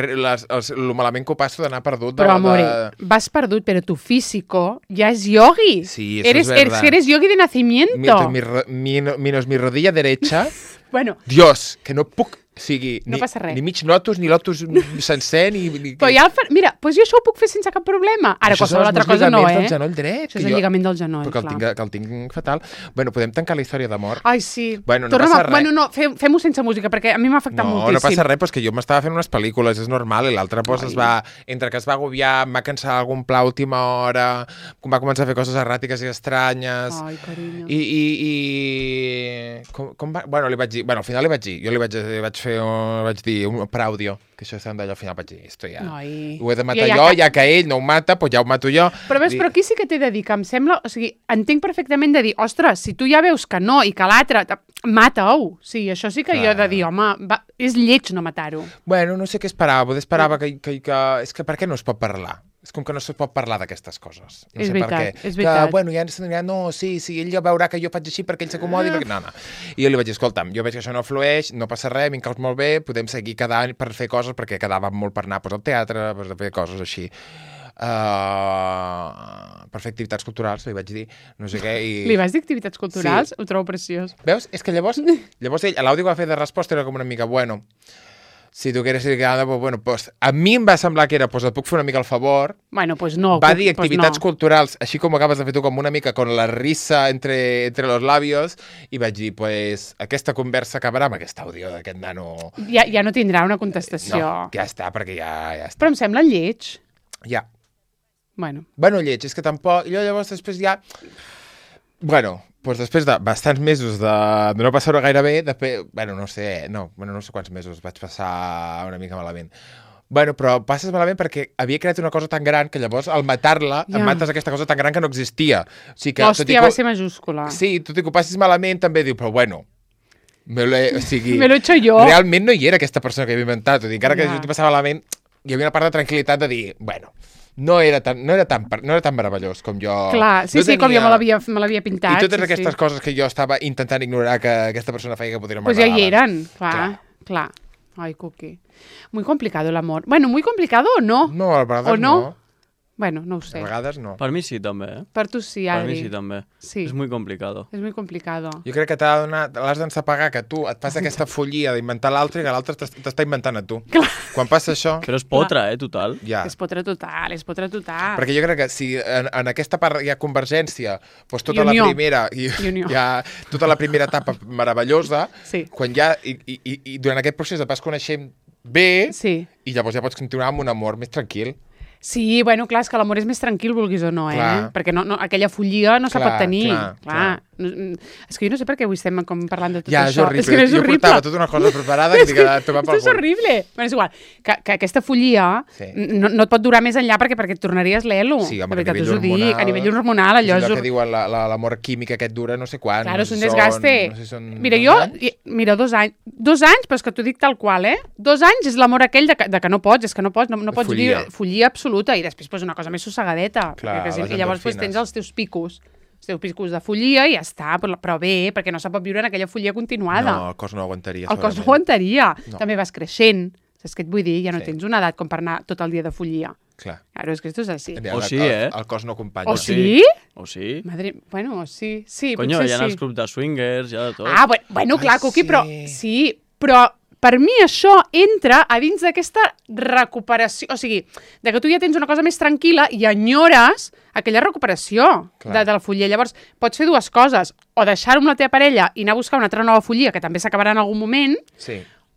[SPEAKER 2] malament que ho passo d'anar perdut.
[SPEAKER 1] Però, amore, vas perdut, però tu físico ja és yogi.
[SPEAKER 2] Sí, eso es verdad.
[SPEAKER 1] Eres yogi de nacimiento.
[SPEAKER 2] Menos mi rodilla derecha.
[SPEAKER 1] Bueno.
[SPEAKER 2] Dios, que no puc... O sigui,
[SPEAKER 1] no passa res.
[SPEAKER 2] Ni mig lotus, ni lotus sencer, ni...
[SPEAKER 1] Però ja mira, doncs jo això ho puc fer sense cap problema. Ara, qualsevol altra cosa no,
[SPEAKER 2] Això són els lligaments del genoll dret.
[SPEAKER 1] Això és el lligament del genoll,
[SPEAKER 2] clar. Que el tinc fatal. Bueno, podem tancar la història d'amor.
[SPEAKER 1] Ai, sí.
[SPEAKER 2] Bueno, no passa res.
[SPEAKER 1] Bueno, no, fem-ho sense música, perquè a mi m'ha afectat moltíssim.
[SPEAKER 2] No passa res, però és que jo m'estava fent unes pel·lícules, és normal, i l'altre es va... Entre que es va agobiar, em va cansar algun pla a última hora, va començar a fer coses erràtiques i estranyes...
[SPEAKER 1] Ai, carinyo.
[SPEAKER 2] Com va... Bueno, li vaig dir... Bueno, al final li vaig dir. Jo li vaig fer... Vaig dir un praudio, que això s'han d'allò, al final vaig dir, esto ja... Ho he de matar jo, ja que ell no ho mata, doncs ja ho mato jo.
[SPEAKER 1] Però veus, però aquí sí que t'he de dir que em sembla... O sigui, entenc perfectament de dir, ostres, si tu ja veus que no i que l'altre... Mata-ho! Sí, això sí que jo he de dir, home, és lleig no matar-ho.
[SPEAKER 2] Bueno, no sé què esperava, potser esperava que... És que per què no es pot parlar? És com que no se pot parlar d'aquestes coses. No
[SPEAKER 1] és
[SPEAKER 2] sé
[SPEAKER 1] veritat,
[SPEAKER 2] per què.
[SPEAKER 1] és veritat.
[SPEAKER 2] Que, bueno, ja no, sí, ell ja veurà que jo faig així perquè ell s'acomodi. No. I jo li vaig dir, escolta'm, jo veig que això no flueix, no passa res, m'incaus molt bé, podem seguir quedant per fer coses, perquè quedava molt per anar al teatre, per fer coses així. Per fer activitats culturals, li vaig dir, no sé què.
[SPEAKER 1] Li vas dir activitats culturals? Sí. Ho trobo preciós.
[SPEAKER 2] Veus? És que llavors ell, l'àudio que va fer de resposta era com una mica, bueno... Si tu quieres ir quedando, pues bueno, pues a mi em va semblar que era, pues et puc fer una mica el favor.
[SPEAKER 1] Bueno, pues no.
[SPEAKER 2] Va dir activitats culturals, així com acabes de fer tu, com una mica con la risa entre los labios, i vaig dir, pues aquesta conversa acabarà amb aquest àudio d'aquest nano.
[SPEAKER 1] Ja no tindrà una contestació.
[SPEAKER 2] No, ja està, perquè ja està.
[SPEAKER 1] Però em sembla lleig.
[SPEAKER 2] Ja.
[SPEAKER 1] Bueno,
[SPEAKER 2] lleig, és que tampoc... Jo llavors després ja... Bueno... Doncs després de bastants mesos de no passar-ho gaire bé, no sé quants mesos vaig passar una mica malament. Bueno, però passes malament perquè havia creat una cosa tan gran que llavors al matar-la em mates aquesta cosa tan gran que no existia. O sigui que,
[SPEAKER 1] l'hòstia va ser majúscula.
[SPEAKER 2] Sí, tot i que ho passis malament també diu, però bueno, me lo he
[SPEAKER 1] hecho yo.
[SPEAKER 2] Realment no hi era aquesta persona que havia inventat. O sigui, encara que jo t'hi passava malament, hi havia una part de tranquil·litat de dir, bueno... No era tan meravellós com jo...
[SPEAKER 1] Clar, sí, com jo me l'havia pintat.
[SPEAKER 2] I totes aquestes coses que jo estava intentant ignorar que aquesta persona feia que podrien
[SPEAKER 1] m'agradar. Pues ja hi eren, clar. Ai, Cuqui. Muy complicado el amor. Bueno, muy complicado o no?
[SPEAKER 2] No, a vegades no.
[SPEAKER 1] Bueno, no ho sé.
[SPEAKER 2] A vegades no.
[SPEAKER 3] Per mi sí, també,
[SPEAKER 1] Per tu sí, Adri.
[SPEAKER 3] Per mi sí, també.
[SPEAKER 1] Sí.
[SPEAKER 3] És muy complicado.
[SPEAKER 1] És muy complicado.
[SPEAKER 2] Jo crec que l'has d'ensapagar, que tu et fas aquesta follia d'inventar l'altre i que l'altre t'està inventant a tu.
[SPEAKER 1] Clar.
[SPEAKER 2] Quan passa això...
[SPEAKER 3] Però és potra, total.
[SPEAKER 2] Ja.
[SPEAKER 1] És potra total. Perquè
[SPEAKER 2] jo crec que si en aquesta part hi ha convergència, doncs tota la primera... Tota la primera etapa meravellosa, quan ja... I durant aquest procés et vas coneixent bé, i llavors ja pots continuar amb un amor més tranquil.
[SPEAKER 1] Sí, bueno, clar, és que l'amor és més tranquil, vulguis o no, Perquè aquella follia no se pot tenir. Clar. És que jo no sé per què avui estem parlant de tot
[SPEAKER 2] això.
[SPEAKER 1] Ja,
[SPEAKER 2] és horrible. Jo portava tota una cosa preparada que t'he tomar pel
[SPEAKER 1] cul. És horrible. Bueno, és igual. Que aquesta follia no et pot durar més enllà perquè et tornaries l'elo.
[SPEAKER 2] Sí, home, a
[SPEAKER 1] nivell hormonal. Allò
[SPEAKER 2] és allò que diuen l'amor químic aquest dura no sé quant.
[SPEAKER 1] Claro, és un desgaste. Mira, 2 anys. 2 anys, però és que t'ho dic tal qual, 2 anys és l'amor aquell de que no pots, és que no pots dir follia absoluta i després una cosa més sossegadeta. I llavors tens els teus picos de follia i ja està, però bé, perquè no se pot viure en aquella follia continuada.
[SPEAKER 2] No, el cos no aguantaria.
[SPEAKER 1] El cos no aguantaria. També vas creixent. Saps què et vull dir? Ja no tens una edat com per anar tot el dia de follia.
[SPEAKER 2] Clar.
[SPEAKER 1] Claro, és que esto és així.
[SPEAKER 3] O sí,
[SPEAKER 2] El cos no acompanya.
[SPEAKER 1] O sí?
[SPEAKER 3] O sí.
[SPEAKER 1] Madre... Bueno, sí.
[SPEAKER 3] Coño, hi ha els clubs de swingers, hi ha de tot.
[SPEAKER 1] Ah, bueno, clar, Cuqui, però... Sí, però... Per mi això entra a dins d'aquesta recuperació, o sigui, de que tu ja tens una cosa més tranquil·la i enyores aquella recuperació de la follia. Llavors, pots fer 2 coses, o deixar-ho amb la teva parella i anar a buscar una altra nova follia, que també s'acabarà en algun moment,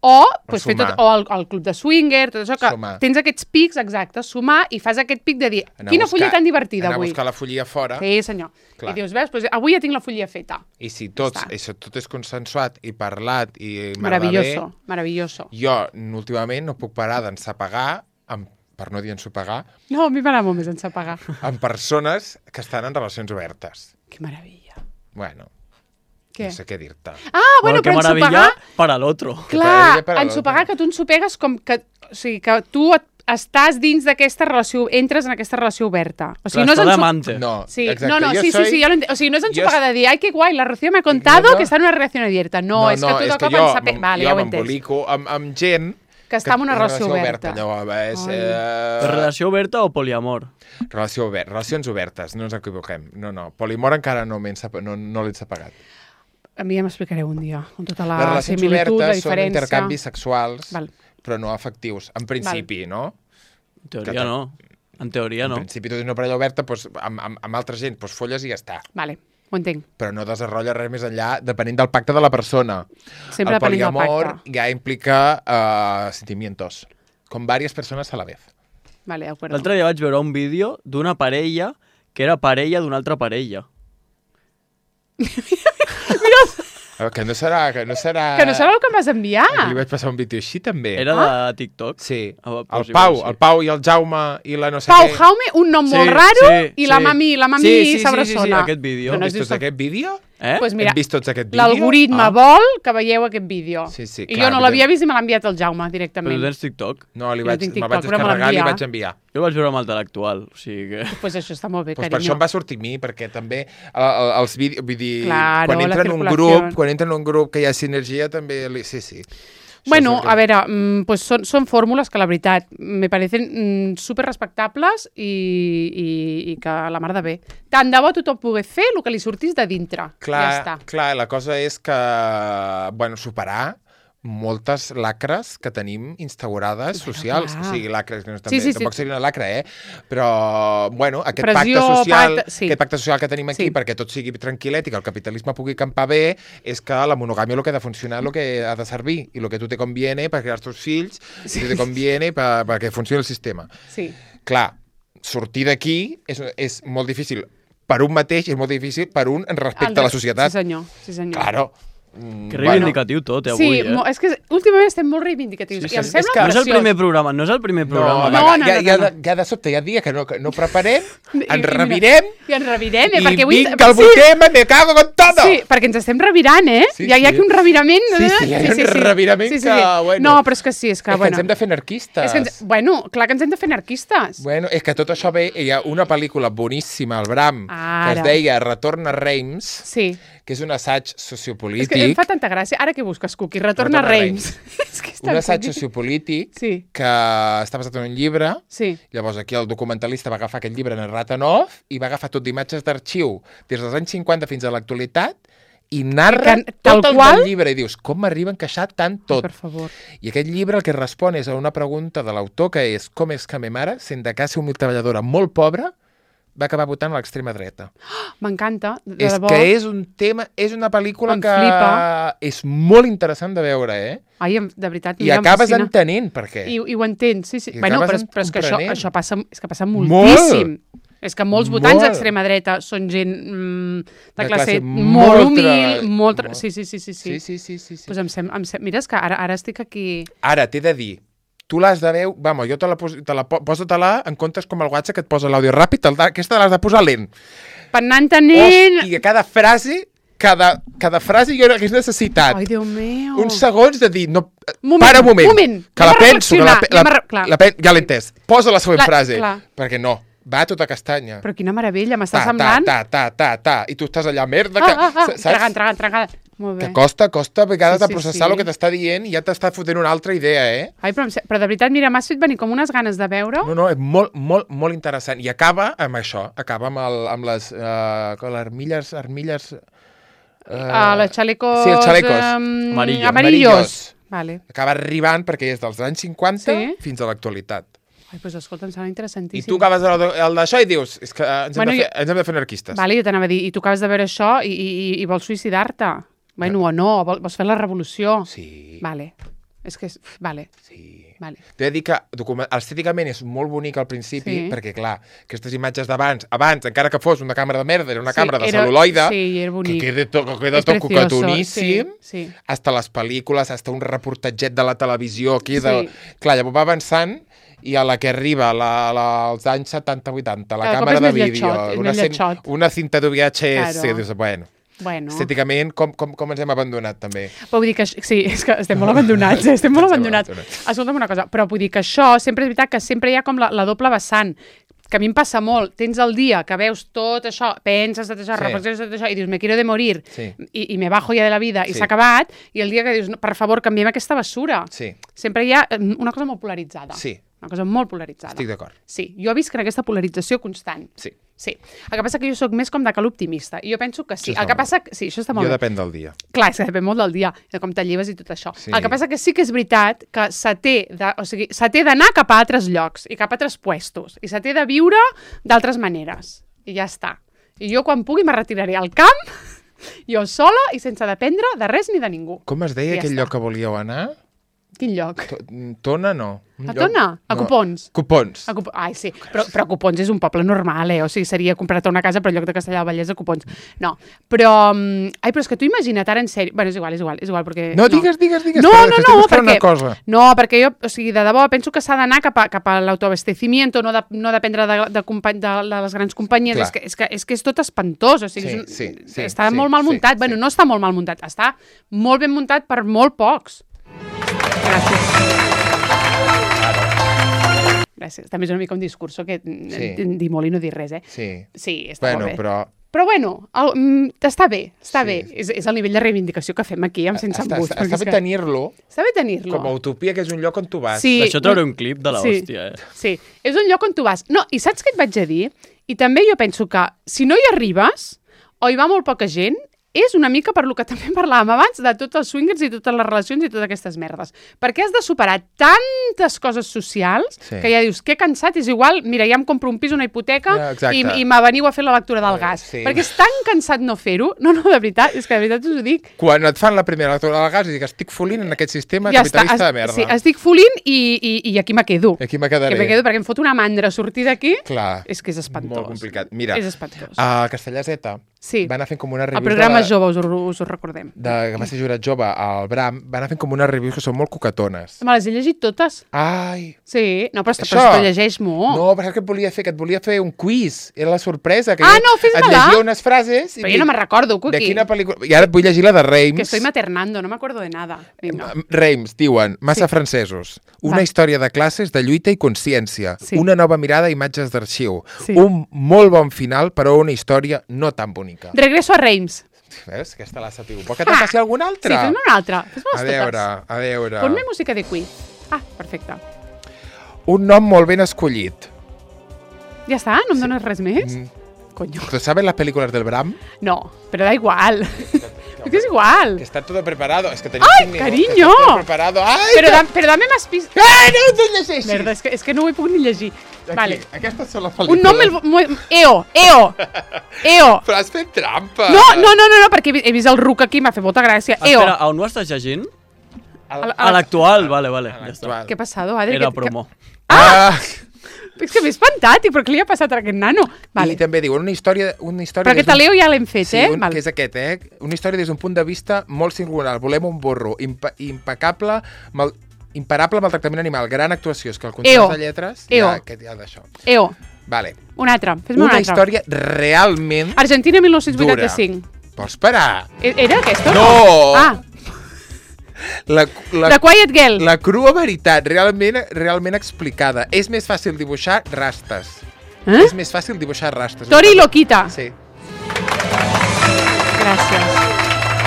[SPEAKER 1] o fer tot, o el club de swinger, tot això, que tens aquests pics, exacte, sumar i fas aquest pic de dir, quina follia tan divertida avui.
[SPEAKER 2] Anar a buscar la follia fora.
[SPEAKER 1] Sí, senyor. Clar. I dius, veus, avui ja tinc la follia feta.
[SPEAKER 2] I si tot és consensuat i parlat i
[SPEAKER 1] meravelloso, meravelloso.
[SPEAKER 2] Jo, últimament, no puc parar d'ensapegar, per no dir ensopegar...
[SPEAKER 1] No, a mi m'agrada molt més ensapegar.
[SPEAKER 2] Amb persones que estan en relacions obertes.
[SPEAKER 1] Que meravella.
[SPEAKER 2] Bueno...
[SPEAKER 1] Què?
[SPEAKER 2] No sé què dir-te.
[SPEAKER 1] Ah, bueno, però ensopegar...
[SPEAKER 3] para l'altre.
[SPEAKER 1] Clar, ensopegar que tu ensopegues com que... O sigui, que tu estàs dins d'aquesta relació, entres en aquesta relació oberta. O sigui, no és
[SPEAKER 3] ensopegar.
[SPEAKER 2] No,
[SPEAKER 1] sí, exacte. Sí, ja o sigui, no és ensopegar de dir, ai, que guai, la Rocío me ha contado que està en una relació abierta. No, és que tot el cop ensapegar... Vale, ja ho he entès.
[SPEAKER 2] Jo m'embolico amb gent...
[SPEAKER 1] Que està en una relació oberta.
[SPEAKER 3] Relació oberta o poliamor?
[SPEAKER 2] Relacions obertes, no ens equivoquem. No, poliamor encara no l'he ensapegat.
[SPEAKER 1] A mi ja m'explicareu un dia, amb tota la similitud, la diferència.
[SPEAKER 2] Les relacions obertes són intercanvis sexuals, però no afectius, en principi, no?
[SPEAKER 3] En teoria no. En teoria no.
[SPEAKER 2] En principi tu tens una parella oberta, amb altra gent, folles i ja està.
[SPEAKER 1] Vale, ho entenc.
[SPEAKER 2] Però no desenrotlla res més enllà, depenent del pacte de la persona.
[SPEAKER 1] Sempre depenent del pacte.
[SPEAKER 2] El poliamor ja implica sentimientos, con varias personas a la vez.
[SPEAKER 1] Vale, de acuerdo.
[SPEAKER 3] L'altre dia vaig veure un vídeo d'una parella que era parella d'una altra parella.
[SPEAKER 2] Que no serà
[SPEAKER 1] el que em vas enviar.
[SPEAKER 2] Li vaig passar un vídeo així, també.
[SPEAKER 3] Era de TikTok?
[SPEAKER 2] Sí. El Pau i el Jaume i la no sé
[SPEAKER 1] què. Jaume, un nom molt raro, i la mami s'abraçona.
[SPEAKER 3] Sí, aquest vídeo.
[SPEAKER 2] Has vist aquest vídeo?
[SPEAKER 1] Pues mira,
[SPEAKER 2] hem vist tots aquest vídeo?
[SPEAKER 1] L'algoritme vol que veieu aquest vídeo.
[SPEAKER 2] Sí,
[SPEAKER 1] I jo no l'havia vist i me l'ha enviat el Jaume directament.
[SPEAKER 3] Però tu tens TikTok?
[SPEAKER 2] No, me'l vaig descarregar i li vaig enviar.
[SPEAKER 3] Jo el vaig veure amb el l'actual, o sigui que...
[SPEAKER 1] Pues això està molt bé, carinyo.
[SPEAKER 2] Per això em va sortir a mi, perquè també els vídeos... Vull dir, quan entra en un grup que hi ha sinergia, també... Sí.
[SPEAKER 1] Bueno, a veure, pues són fórmules que la veritat me parecen super respectables i que la mar de bé. Tant de bo tothom pogués fer el que li sortís de dintre. Ja està.
[SPEAKER 2] Clar, la cosa és que, superar moltes lacres que tenim instaurades socials. O sigui, lacres, que no tampoc seria una lacra, però, aquest pacte social que tenim aquí, perquè tot sigui tranquil·let i que el capitalisme pugui campar bé, és que la monogàmia el que ha de funcionar, el que ha de servir, i el que tu te conviene per crear els teus fills, i tu te conviene perquè funcioni el sistema.
[SPEAKER 1] Sí.
[SPEAKER 2] Clar, sortir d'aquí és molt difícil per un mateix, és molt difícil per un respecte a la societat.
[SPEAKER 1] Sí, senyor.
[SPEAKER 2] Claro.
[SPEAKER 3] Que reivindicatiu tot, avui,
[SPEAKER 1] Sí, és que últimament estem molt reivindicatius. I em sembla
[SPEAKER 3] graciós. No és el primer programa,
[SPEAKER 2] Ja de sobte hi ha dia que no preparem, ens revirem,
[SPEAKER 1] i
[SPEAKER 2] vinc al vuit tema, me cago con todo.
[SPEAKER 1] Sí, perquè ens estem revirant, Hi ha aquí un revirament.
[SPEAKER 2] Sí, hi ha un revirament que, bueno...
[SPEAKER 1] No, però és que sí, és que
[SPEAKER 2] ens hem de fer anarquistes.
[SPEAKER 1] Bueno, clar que ens hem de fer anarquistes.
[SPEAKER 2] Bueno, és que tot això ve, hi ha una pel·lícula boníssima, al Bram, que es deia Retorn a Reims, que és un assaig sociopolític.
[SPEAKER 1] És que em fa tanta gràcia. Ara què busques, Cuqui? Retorna a Reims.
[SPEAKER 2] Un assaig sociopolític que està basat en un llibre. Llavors aquí el documentalista va agafar aquest llibre narrat en off i va agafar tot d'imatges d'arxiu des dels anys 50 fins a l'actualitat i narra tot el del llibre. I dius, com m'arriba a encaixar tant tot?
[SPEAKER 1] Per favor.
[SPEAKER 2] I aquest llibre el que respon és a una pregunta de l'autor que és com és que ma mare, sent de casa una treballadora molt pobra, va acabar votant a l'extrema dreta.
[SPEAKER 1] M'encanta, de
[SPEAKER 2] debò. És que és un tema, és una pel·lícula que és molt interessant de veure,
[SPEAKER 1] Ai, de veritat,
[SPEAKER 2] i acabes entenent per què.
[SPEAKER 1] I ho entens, sí. Bueno, però és que això passa moltíssim. És que molts votants d'extrema dreta són gent de classe molt humil, molt... Sí. Pues mira, és que ara estic aquí...
[SPEAKER 2] Ara, t'he de dir, tu l'has de veure... Vamos, jo posa-te-la en comptes com el WhatsApp que et posa l'àudio ràpid, aquesta l'has de posar lent.
[SPEAKER 1] Per anar entenent...
[SPEAKER 2] Hòstia, cada frase jo hagués necessitat.
[SPEAKER 1] Ai, Déu meu.
[SPEAKER 2] Uns segons de dir... Para un moment. Que la penso. Ja l'he entès. Posa la següent frase. Perquè no. Va a tota castanya.
[SPEAKER 1] Però quina meravella, m'està semblant...
[SPEAKER 2] I tu estàs allà, merda...
[SPEAKER 1] Tragant. Molt bé.
[SPEAKER 2] Que costa a vegades de processar el que t'està dient i ja t'està fotent una altra idea,
[SPEAKER 1] Ai, però de veritat, mira, m'has fet venir com unes ganes de veure.
[SPEAKER 2] No, és molt interessant. I acaba amb això, amb les armilles...
[SPEAKER 1] les xalecos...
[SPEAKER 2] Sí, els xalecos.
[SPEAKER 1] Amarillos. Vale.
[SPEAKER 2] Acaba arribant perquè és dels anys 50 fins a l'actualitat.
[SPEAKER 1] Ai, doncs escolta, em sembla interessantíssim.
[SPEAKER 2] I tu acabes el d'això i dius, és que ens hem de fer anarquistes.
[SPEAKER 1] Vale, jo t'anava a dir, i tu acabes de veure això i vols suïcidar-te. Bueno, o no, vols fer la revolució.
[SPEAKER 2] Sí.
[SPEAKER 1] Vale. És que... Vale.
[SPEAKER 2] Sí.
[SPEAKER 1] Vale.
[SPEAKER 2] T'he de dir que estèticament és molt bonic al principi, perquè, clar, aquestes imatges d'abans, encara que fos una càmera de merda, era una càmera de cel·luloide,
[SPEAKER 1] que
[SPEAKER 2] queda tot cocatoníssim, hasta les pel·lícules, hasta un reportatget de la televisió, clar, llavors va avançant, i a la que arriba als anys 70-80, la càmera de vídeo, una cinta de VHS, dius, bueno, estèticament, com ens hem abandonat, també.
[SPEAKER 1] Però vull dir que... Sí, és que estem molt abandonats, Escolta'm una cosa, però vull dir que això, sempre és veritat que sempre hi ha com la doble vessant, que a mi em passa molt. Tens el dia que veus tot això, penses tot això, reflexiones tot això, i dius, me quiero de morir, i me bajo ja de la vida, i s'ha acabat, i el dia que dius, per favor, canviem aquesta basura. Sempre hi ha una cosa molt polaritzada. Una cosa molt polaritzada.
[SPEAKER 2] Estic d'acord.
[SPEAKER 1] Sí, jo visc en aquesta polarització constant. Sí. El que passa que jo sóc més com de cal optimista, i jo penso que sí. El que passa... Sí, això està molt bé.
[SPEAKER 2] Jo depèn del dia.
[SPEAKER 1] Clar, és que depèn molt del dia, de com te lleves i tot això. El que passa que sí que és veritat que se té d'anar cap a altres llocs i cap a altres puestos, i se té de viure d'altres maneres. I ja està. I jo quan pugui me retiraré al camp, jo sola i sense dependre de res ni de ningú.
[SPEAKER 2] Com es deia aquell lloc que volíeu anar?
[SPEAKER 1] Quin lloc?
[SPEAKER 2] Tona, no.
[SPEAKER 1] A Tona? A Copons?
[SPEAKER 2] Copons.
[SPEAKER 1] Ai, sí. Però Copons és un poble normal, O sigui, seria comprar-te una casa per lloc de Castellar del Vallès a Copons. No. Però... Ai, però és que tu imagina't ara en sèrio... Bueno, és igual, perquè...
[SPEAKER 2] No, digues.
[SPEAKER 1] No, perquè jo, o sigui, de debò, penso que s'ha d'anar cap a l'autoabastecimiento, no dependre de les grans companyies. És que és tot espantós, o sigui, està molt mal muntat. Bueno, no està molt mal muntat, està molt ben muntat per molt pocs. Gràcies. També és una mica un discurso que dir molt i no dir res, Sí, està molt bé. Però bueno, està bé. És el nivell de reivindicació que fem aquí amb Sense Embuts.
[SPEAKER 2] Està bé tenir-lo.
[SPEAKER 1] Està bé tenir-lo.
[SPEAKER 2] Com a utopia, que és un lloc on tu vas.
[SPEAKER 3] D'això trauré un clip de l'hòstia,
[SPEAKER 1] Sí, és un lloc on tu vas. No, i saps què et vaig a dir? I també jo penso que si no hi arribes, o hi va molt poca gent, és una mica per lo que també parlàvem abans de tots els swingers i totes les relacions i totes aquestes merdes. Perquè has de superar tantes coses socials que ja dius, que cansat, és igual, mira, ja em compro un pis, una hipoteca i me veniu a fer la lectura del gas. Perquè és tan cansat no fer-ho. No, de veritat, és que de veritat us ho dic.
[SPEAKER 2] Quan et fan la primera lectura del gas i dic, estic folint en aquest sistema capitalista de merda.
[SPEAKER 1] Sí, estic folint i aquí me quedo.
[SPEAKER 2] Aquí me quedaré.
[SPEAKER 1] Perquè em fot una mandra sortir d'aquí.
[SPEAKER 2] Clar.
[SPEAKER 1] És que és espantós.
[SPEAKER 2] Molt complicat. Mira,
[SPEAKER 1] és espantós.
[SPEAKER 2] A Castellà Z va anar fent com una review...
[SPEAKER 1] El programa jove, us ho recordem.
[SPEAKER 2] Que va ser jurat jove al Bram, va anar fent com unes reviews que són molt cocatones.
[SPEAKER 1] Me les he llegit totes.
[SPEAKER 2] Ai!
[SPEAKER 1] Sí, no, però te llegeix molt.
[SPEAKER 2] No, però saps què et volia fer? Que et volia fer un quiz. Era la sorpresa. Que
[SPEAKER 1] no, fes-me-la!
[SPEAKER 2] Et llegia unes frases...
[SPEAKER 1] Però jo no me'n recordo, Cookie.
[SPEAKER 2] De quina pel·lícula... I ara et vull llegir la de Reims.
[SPEAKER 1] Que estoy maternando, no m'acordo de nada.
[SPEAKER 2] Reims, diuen, massa francesos. Una història de classes, de lluita i consciència. Una nova mirada a imatges d'arxiu. Un molt bon final, però una història no tan bonica.
[SPEAKER 1] Regreso a Reims.
[SPEAKER 2] Veus? Aquesta la sapiu. Vol que te'n passi alguna altra?
[SPEAKER 1] Sí, fes-me una altra. Fes-me-les
[SPEAKER 2] totes. A veure.
[SPEAKER 1] Ponme música de quiz. Perfecte.
[SPEAKER 2] Un nom molt ben escollit.
[SPEAKER 1] Ja està? No em dones res més? Coño.
[SPEAKER 2] ¿Tú sabes las películas del Bram?
[SPEAKER 1] No, pero da igual. Es que es igual.
[SPEAKER 2] Que está todo preparado. Es que tenéis
[SPEAKER 1] ¡ay, cariño!
[SPEAKER 2] Todo preparado. ¡Ay!
[SPEAKER 1] Pero dame más pistas.
[SPEAKER 2] ¡Ai, no ho llegeixis!
[SPEAKER 1] Merda, és que no ho puc ni llegir.
[SPEAKER 2] Aquí,
[SPEAKER 1] vale.
[SPEAKER 2] Aquestes són les pel·lícules.
[SPEAKER 1] Un nom... EO.
[SPEAKER 2] Però has fet trampa.
[SPEAKER 1] No, perquè he vist el ruc aquí, m'ha fet molta gràcia. EO.
[SPEAKER 3] Espera, on ho estàs llegint? A l'actual, vale. Ja està.
[SPEAKER 1] Què ha passat, Adri?
[SPEAKER 3] Era promo.
[SPEAKER 1] És que m'he espantat, però què li ha passat a aquest nano? Vale.
[SPEAKER 2] I també diu una història...
[SPEAKER 1] Però aquest Leo ja l'hem fet,
[SPEAKER 2] sí, que és aquest, Una història des d'un punt de vista molt singular. Volem un burro imparable maltractament animal. Gran actuació. És que el contrast de lletres... Ja d'això. Vale.
[SPEAKER 1] Un altre. Fes-me un altre.
[SPEAKER 2] Una història realment...
[SPEAKER 1] Argentina 1985.
[SPEAKER 2] Vols parar?
[SPEAKER 1] Era aquesta?
[SPEAKER 2] No!
[SPEAKER 1] The Quiet Girl.
[SPEAKER 2] La crua veritat, realment explicada. És més fàcil dibuixar rastes. És més fàcil dibuixar rastes.
[SPEAKER 1] Tori Loquita.
[SPEAKER 2] Sí.
[SPEAKER 1] Gràcies.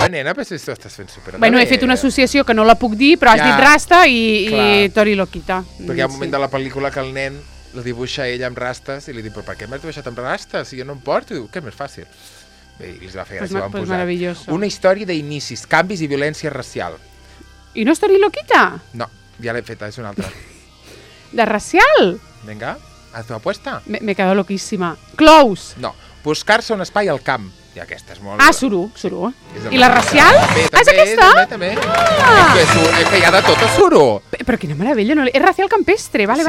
[SPEAKER 2] Nena, però si tu estàs fent superbé.
[SPEAKER 1] Bueno, he fet una associació que no la puc dir, però has dit rasta i Tori Loquita.
[SPEAKER 2] Perquè hi ha un moment de la pel·lícula que el nen la dibuixa ella amb rastes i li diu, però per què m'has dibuixat amb rastes? Si jo no em porto. I diu, què és més fàcil? Bé, i els va fer gràcia, van posar.
[SPEAKER 1] Maravilloso.
[SPEAKER 2] Una història d'inicis, canvis i violència racial.
[SPEAKER 1] I no és Tori Loquita?
[SPEAKER 2] No, ja l'he feta, és una altra.
[SPEAKER 1] De racial?
[SPEAKER 2] Vinga, haz tu apuesta.
[SPEAKER 1] Me quedo loquíssima. Close.
[SPEAKER 2] No, buscar-se un espai al camp. I aquesta és molt...
[SPEAKER 1] Suru. I la racial? És aquesta?
[SPEAKER 2] També. És que hi ha de tot a Suru.
[SPEAKER 1] Però quina meravella, no? És racial campestre, vale.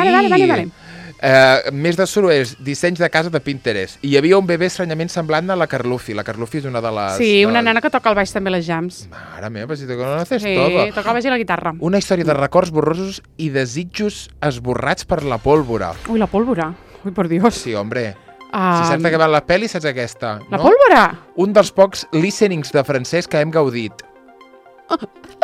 [SPEAKER 2] Més de Suru és dissenys de casa de Pinterest. I hi havia un bebè estranyament semblant a la Carlufi. La Carlufi és una de les...
[SPEAKER 1] Sí, una nana que toca el baix també les jams.
[SPEAKER 2] Mare meva, si te conoces todo.
[SPEAKER 1] Sí, toca el baix i la guitarra.
[SPEAKER 2] Una història de records borrosos i desitjos esborrats per la pólvora.
[SPEAKER 1] Ui, la pólvora. Ui, por Dios.
[SPEAKER 2] Sí, hombre. Si saps de què va la pel·li, saps aquesta.
[SPEAKER 1] La pólvora?
[SPEAKER 2] Un dels pocs listenings de francès que hem gaudit.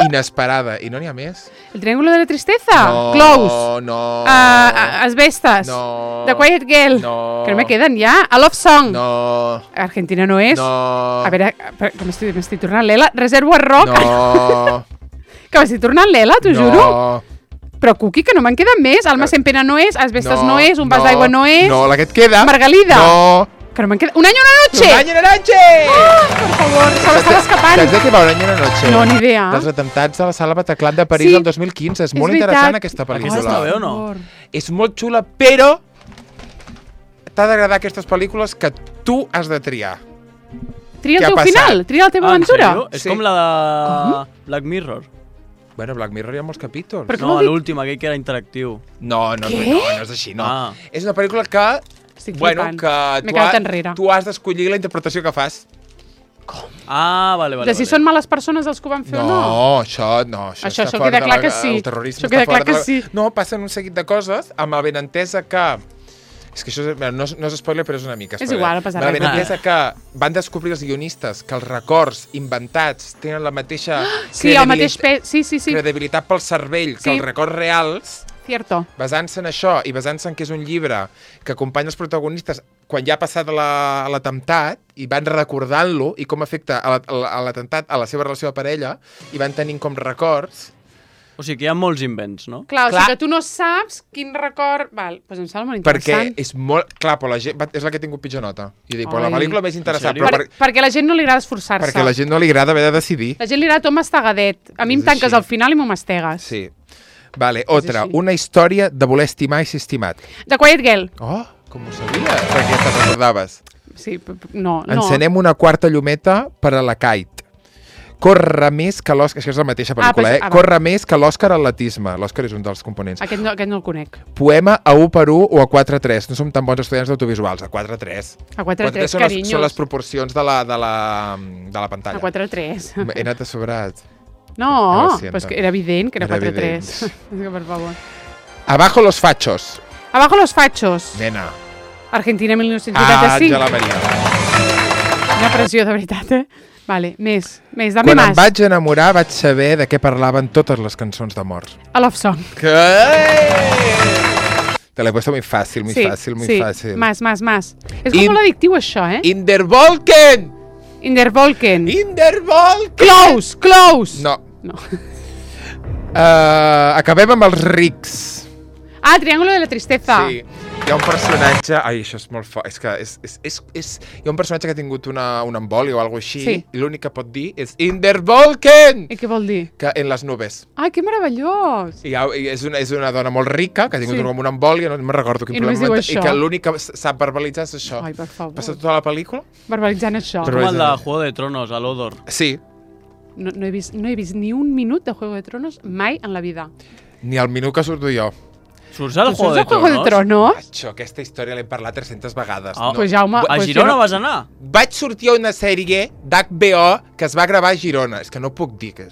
[SPEAKER 2] Inesperada. I no n'hi ha més.
[SPEAKER 1] El triángulo de la tristeza?
[SPEAKER 2] No,
[SPEAKER 1] Close.
[SPEAKER 2] No.
[SPEAKER 1] Asbestas.
[SPEAKER 2] No.
[SPEAKER 1] The Quiet Girl.
[SPEAKER 2] No.
[SPEAKER 1] Que no me queden ja. A Love Song.
[SPEAKER 2] No.
[SPEAKER 1] Argentina no és.
[SPEAKER 2] No.
[SPEAKER 1] A veure, que m'estic tornant l'Ela. Reservoir Rock.
[SPEAKER 2] No.
[SPEAKER 1] Que m'estic tornant l'Ela, t'ho juro.
[SPEAKER 2] No.
[SPEAKER 1] Però, Cuqui, que no me'n queden més. Alma en pena no és, Asbestas no és, Un vas d'aigua no és...
[SPEAKER 2] No, la que et queda...
[SPEAKER 1] Margalida.
[SPEAKER 2] No.
[SPEAKER 1] Que no me'n queda... Un any una noche!
[SPEAKER 2] Un any una noche!
[SPEAKER 1] Per favor, se l'estava escapant.
[SPEAKER 2] Saps de què va Un any una noche?
[SPEAKER 1] No, ni idea.
[SPEAKER 2] Dels atemptats a la sala Bataclan de París el 2015. És molt interessant aquesta pel·lícula.
[SPEAKER 3] Aquesta està bé o no?
[SPEAKER 2] És molt xula, però t'ha d'agradar aquestes pel·lícules que tu has de triar.
[SPEAKER 1] Tria el teu final, tria la teva aventura.
[SPEAKER 3] És com la de Black Mirror.
[SPEAKER 2] Bueno, Black Mirror hi ha molts capítols.
[SPEAKER 3] No, l'últim, aquell que era interactiu.
[SPEAKER 2] No és així, no. És una pel·lícula que...
[SPEAKER 1] Estic flipant.
[SPEAKER 2] Que tu has d'escollir la interpretació que fas.
[SPEAKER 1] Com?
[SPEAKER 3] Vale.
[SPEAKER 1] De si són males persones els que ho van fer o no?
[SPEAKER 2] No, això està fora
[SPEAKER 1] queda clar que sí.
[SPEAKER 2] El terrorisme
[SPEAKER 1] això queda clar que sí.
[SPEAKER 2] No, passen un seguit de coses amb el benentès que... És que això no és spoiler, però és una mica spoiler.
[SPEAKER 1] És igual, no passa res.
[SPEAKER 2] La benentès que van descobrir els guionistes que els records inventats tenen la mateixa credibilitat pel cervell que els records reals.
[SPEAKER 1] Cierto.
[SPEAKER 2] Basant-se en això i basant-se en que és un llibre que acompanya els protagonistes quan ja ha passat l'atemptat i van recordant-lo i com afecta l'atemptat a la seva relació de parella i van tenint com records.
[SPEAKER 3] O sigui que hi ha molts invents, no?
[SPEAKER 1] Clar, o sigui que tu no saps quin record... Val, doncs em sembla molt interessant.
[SPEAKER 2] Perquè és molt... Clar, però la gent... És la que ha tingut pitjor nota. I dic, la pel·lícula més interessant...
[SPEAKER 1] Perquè a la gent no li agrada esforçar-se.
[SPEAKER 2] Perquè a la gent no li agrada haver de decidir.
[SPEAKER 1] La gent li agrada tot mastagadet. A mi em tanques al final i m'ho mastegues.
[SPEAKER 2] Sí. Vale, otra. Una història de voler estimar i ser estimat.
[SPEAKER 1] The Quiet Girl.
[SPEAKER 2] Oh, com ho sabia? Perquè te'n recordaves.
[SPEAKER 1] Sí, no.
[SPEAKER 2] Encenem una quarta llumeta per a la Kate. Corre més que l'Òscar... Això és la mateixa pel·lícula, Corre més que l'Òscar atletisme. L'Òscar és un dels components.
[SPEAKER 1] Aquest no el conec.
[SPEAKER 2] Poema a 1:1 o a 4:3. No som tan bons estudiants d'autovisuals. A 4:3.
[SPEAKER 1] A 4:3, carinyos.
[SPEAKER 2] Són les proporcions de la pantalla.
[SPEAKER 1] A 4:3.
[SPEAKER 2] He anat a sobrat.
[SPEAKER 1] No, però és que era evident que era 4:3. Per favor.
[SPEAKER 2] Abajo los fachos.
[SPEAKER 1] Abajo los fachos.
[SPEAKER 2] Nena.
[SPEAKER 1] Argentina 1985.
[SPEAKER 2] Àngela Maria.
[SPEAKER 1] Una pressió, de veritat, Vale, més, dame
[SPEAKER 2] Quan
[SPEAKER 1] más.
[SPEAKER 2] em vaig enamorar vaig saber de què parlaven totes les cançons d'amor.
[SPEAKER 1] A Love Song.
[SPEAKER 2] Te l'he puesto muy fácil, muy fácil.
[SPEAKER 1] Más. És com molt addictiu, això,
[SPEAKER 2] Indervolken!
[SPEAKER 1] Close!
[SPEAKER 2] No. Acabem amb els rics.
[SPEAKER 1] Triángulo de la tristeza.
[SPEAKER 2] Sí. Hi ha un personatge... Ai, això és molt fort. És que hi ha un personatge que ha tingut una embòlia o alguna cosa així i l'únic que pot dir és Indervolken!
[SPEAKER 1] I què vol dir?
[SPEAKER 2] Que en les nubes.
[SPEAKER 1] Ai, que meravellós!
[SPEAKER 2] I és una dona molt rica que ha tingut com una embòlia, no me'n recordo quin problema. I que l'únic que sap verbalitzar és això.
[SPEAKER 1] Ai, per favor.
[SPEAKER 2] Passa tota la pel·lícula
[SPEAKER 1] verbalitzant això.
[SPEAKER 3] Com el de Juego de Tronos, a l'Odor.
[SPEAKER 2] Sí.
[SPEAKER 1] No he vist ni un minut de Juego de Tronos mai en la vida.
[SPEAKER 2] Ni el minut que surto jo.
[SPEAKER 3] Surts al Juego de Tronos?
[SPEAKER 2] Això, aquesta història l'hem parlat 300 vegades.
[SPEAKER 1] Pues Jaume...
[SPEAKER 3] A Girona vas anar?
[SPEAKER 2] Vaig sortir a una sèrie d'HBO que es va gravar a Girona. És que no puc dir que...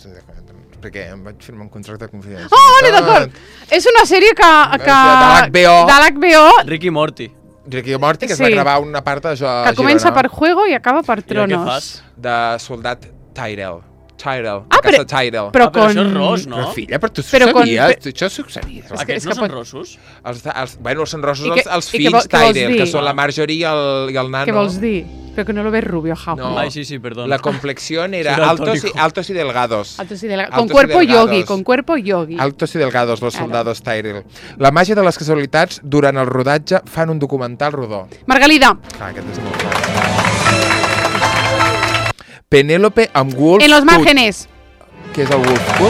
[SPEAKER 2] perquè em vaig firmar un contracte de confidencialitat.
[SPEAKER 1] Vale, d'acord. És una sèrie que...
[SPEAKER 2] de
[SPEAKER 1] l'HBO.
[SPEAKER 3] Ricky Morty.
[SPEAKER 2] Ricky Morty, que es va gravar una part d'això a Girona.
[SPEAKER 1] Que comença per Juego i acaba per Tronos.
[SPEAKER 3] I què fas?
[SPEAKER 2] De soldat Tyrell.
[SPEAKER 1] Però
[SPEAKER 3] això és ros, no?
[SPEAKER 2] Però filla, però tu sabies? Això succeïa.
[SPEAKER 3] Aquests no són rossos?
[SPEAKER 2] Bueno, són rossos els fills Tyrell, que són la Marjorie i el nano.
[SPEAKER 1] Què vols dir? Pero que no lo ves rubio, Jaume.
[SPEAKER 2] No.
[SPEAKER 3] Ay, sí, perdón.
[SPEAKER 2] La complexión era altos y delgados.
[SPEAKER 1] Con cuerpo yogi, con cuerpo yogi.
[SPEAKER 2] Altos y delgados, los soldados Tyrell. La màgia de les casualitats durant el rodatge fan un documental rodó.
[SPEAKER 1] Margalida.
[SPEAKER 2] Aquest és molt clar. Penélope amb Wolf.
[SPEAKER 1] En los márgenes.
[SPEAKER 2] Què és el Wolf Cut?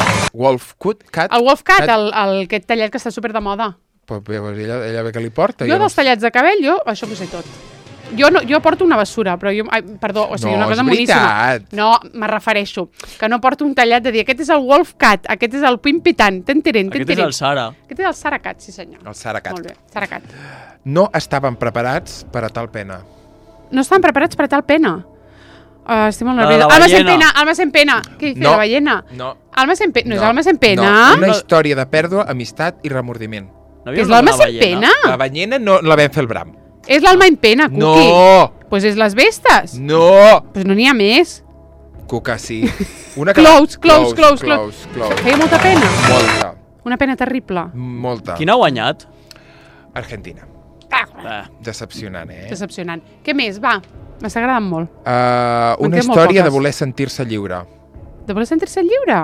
[SPEAKER 1] El Wolf Cut, aquest tallet que està super de moda.
[SPEAKER 2] Pues ella ve que li porta.
[SPEAKER 1] Jo dels tallats de cabell, això ho sé tot. Jo porto una bessura, però jo... Perdó, o sigui, una cosa moníssima. No, me refereixo. Que no porto un tallat de dir aquest és el Wolf Cut, aquest és el Pimpitant,
[SPEAKER 3] Aquest és el Sara.
[SPEAKER 1] Aquest és el Sara Cut, sí senyor.
[SPEAKER 2] El Sara Cut.
[SPEAKER 1] Molt bé, Sara Cut.
[SPEAKER 2] No estaven preparats per a tal pena.
[SPEAKER 1] No estaven preparats per a tal pena? Estic molt nerviosa. Alma en pena. Què dice la ballena?
[SPEAKER 2] No.
[SPEAKER 1] Alma en pena. No és Alma en pena?
[SPEAKER 2] No, una història de pèrdua, amistat i remordiment.
[SPEAKER 1] És l'Alma en pena?
[SPEAKER 2] La ballena no la vam fer el bram.
[SPEAKER 1] És l'Alma en pena, Cuqui.
[SPEAKER 2] No!
[SPEAKER 1] Pues és les vestes.
[SPEAKER 2] No!
[SPEAKER 1] Pues no n'hi ha més.
[SPEAKER 2] Cuca, sí.
[SPEAKER 1] Close. Feia molta pena.
[SPEAKER 2] Molta.
[SPEAKER 1] Una pena terrible.
[SPEAKER 2] Molta.
[SPEAKER 3] Quin ha guanyat?
[SPEAKER 2] Argentina. Decepcionant,
[SPEAKER 1] Decepcionant. Què més? Va, m'està agradant molt.
[SPEAKER 2] Una història de voler sentir-se lliure.
[SPEAKER 1] De voler sentir-se lliure?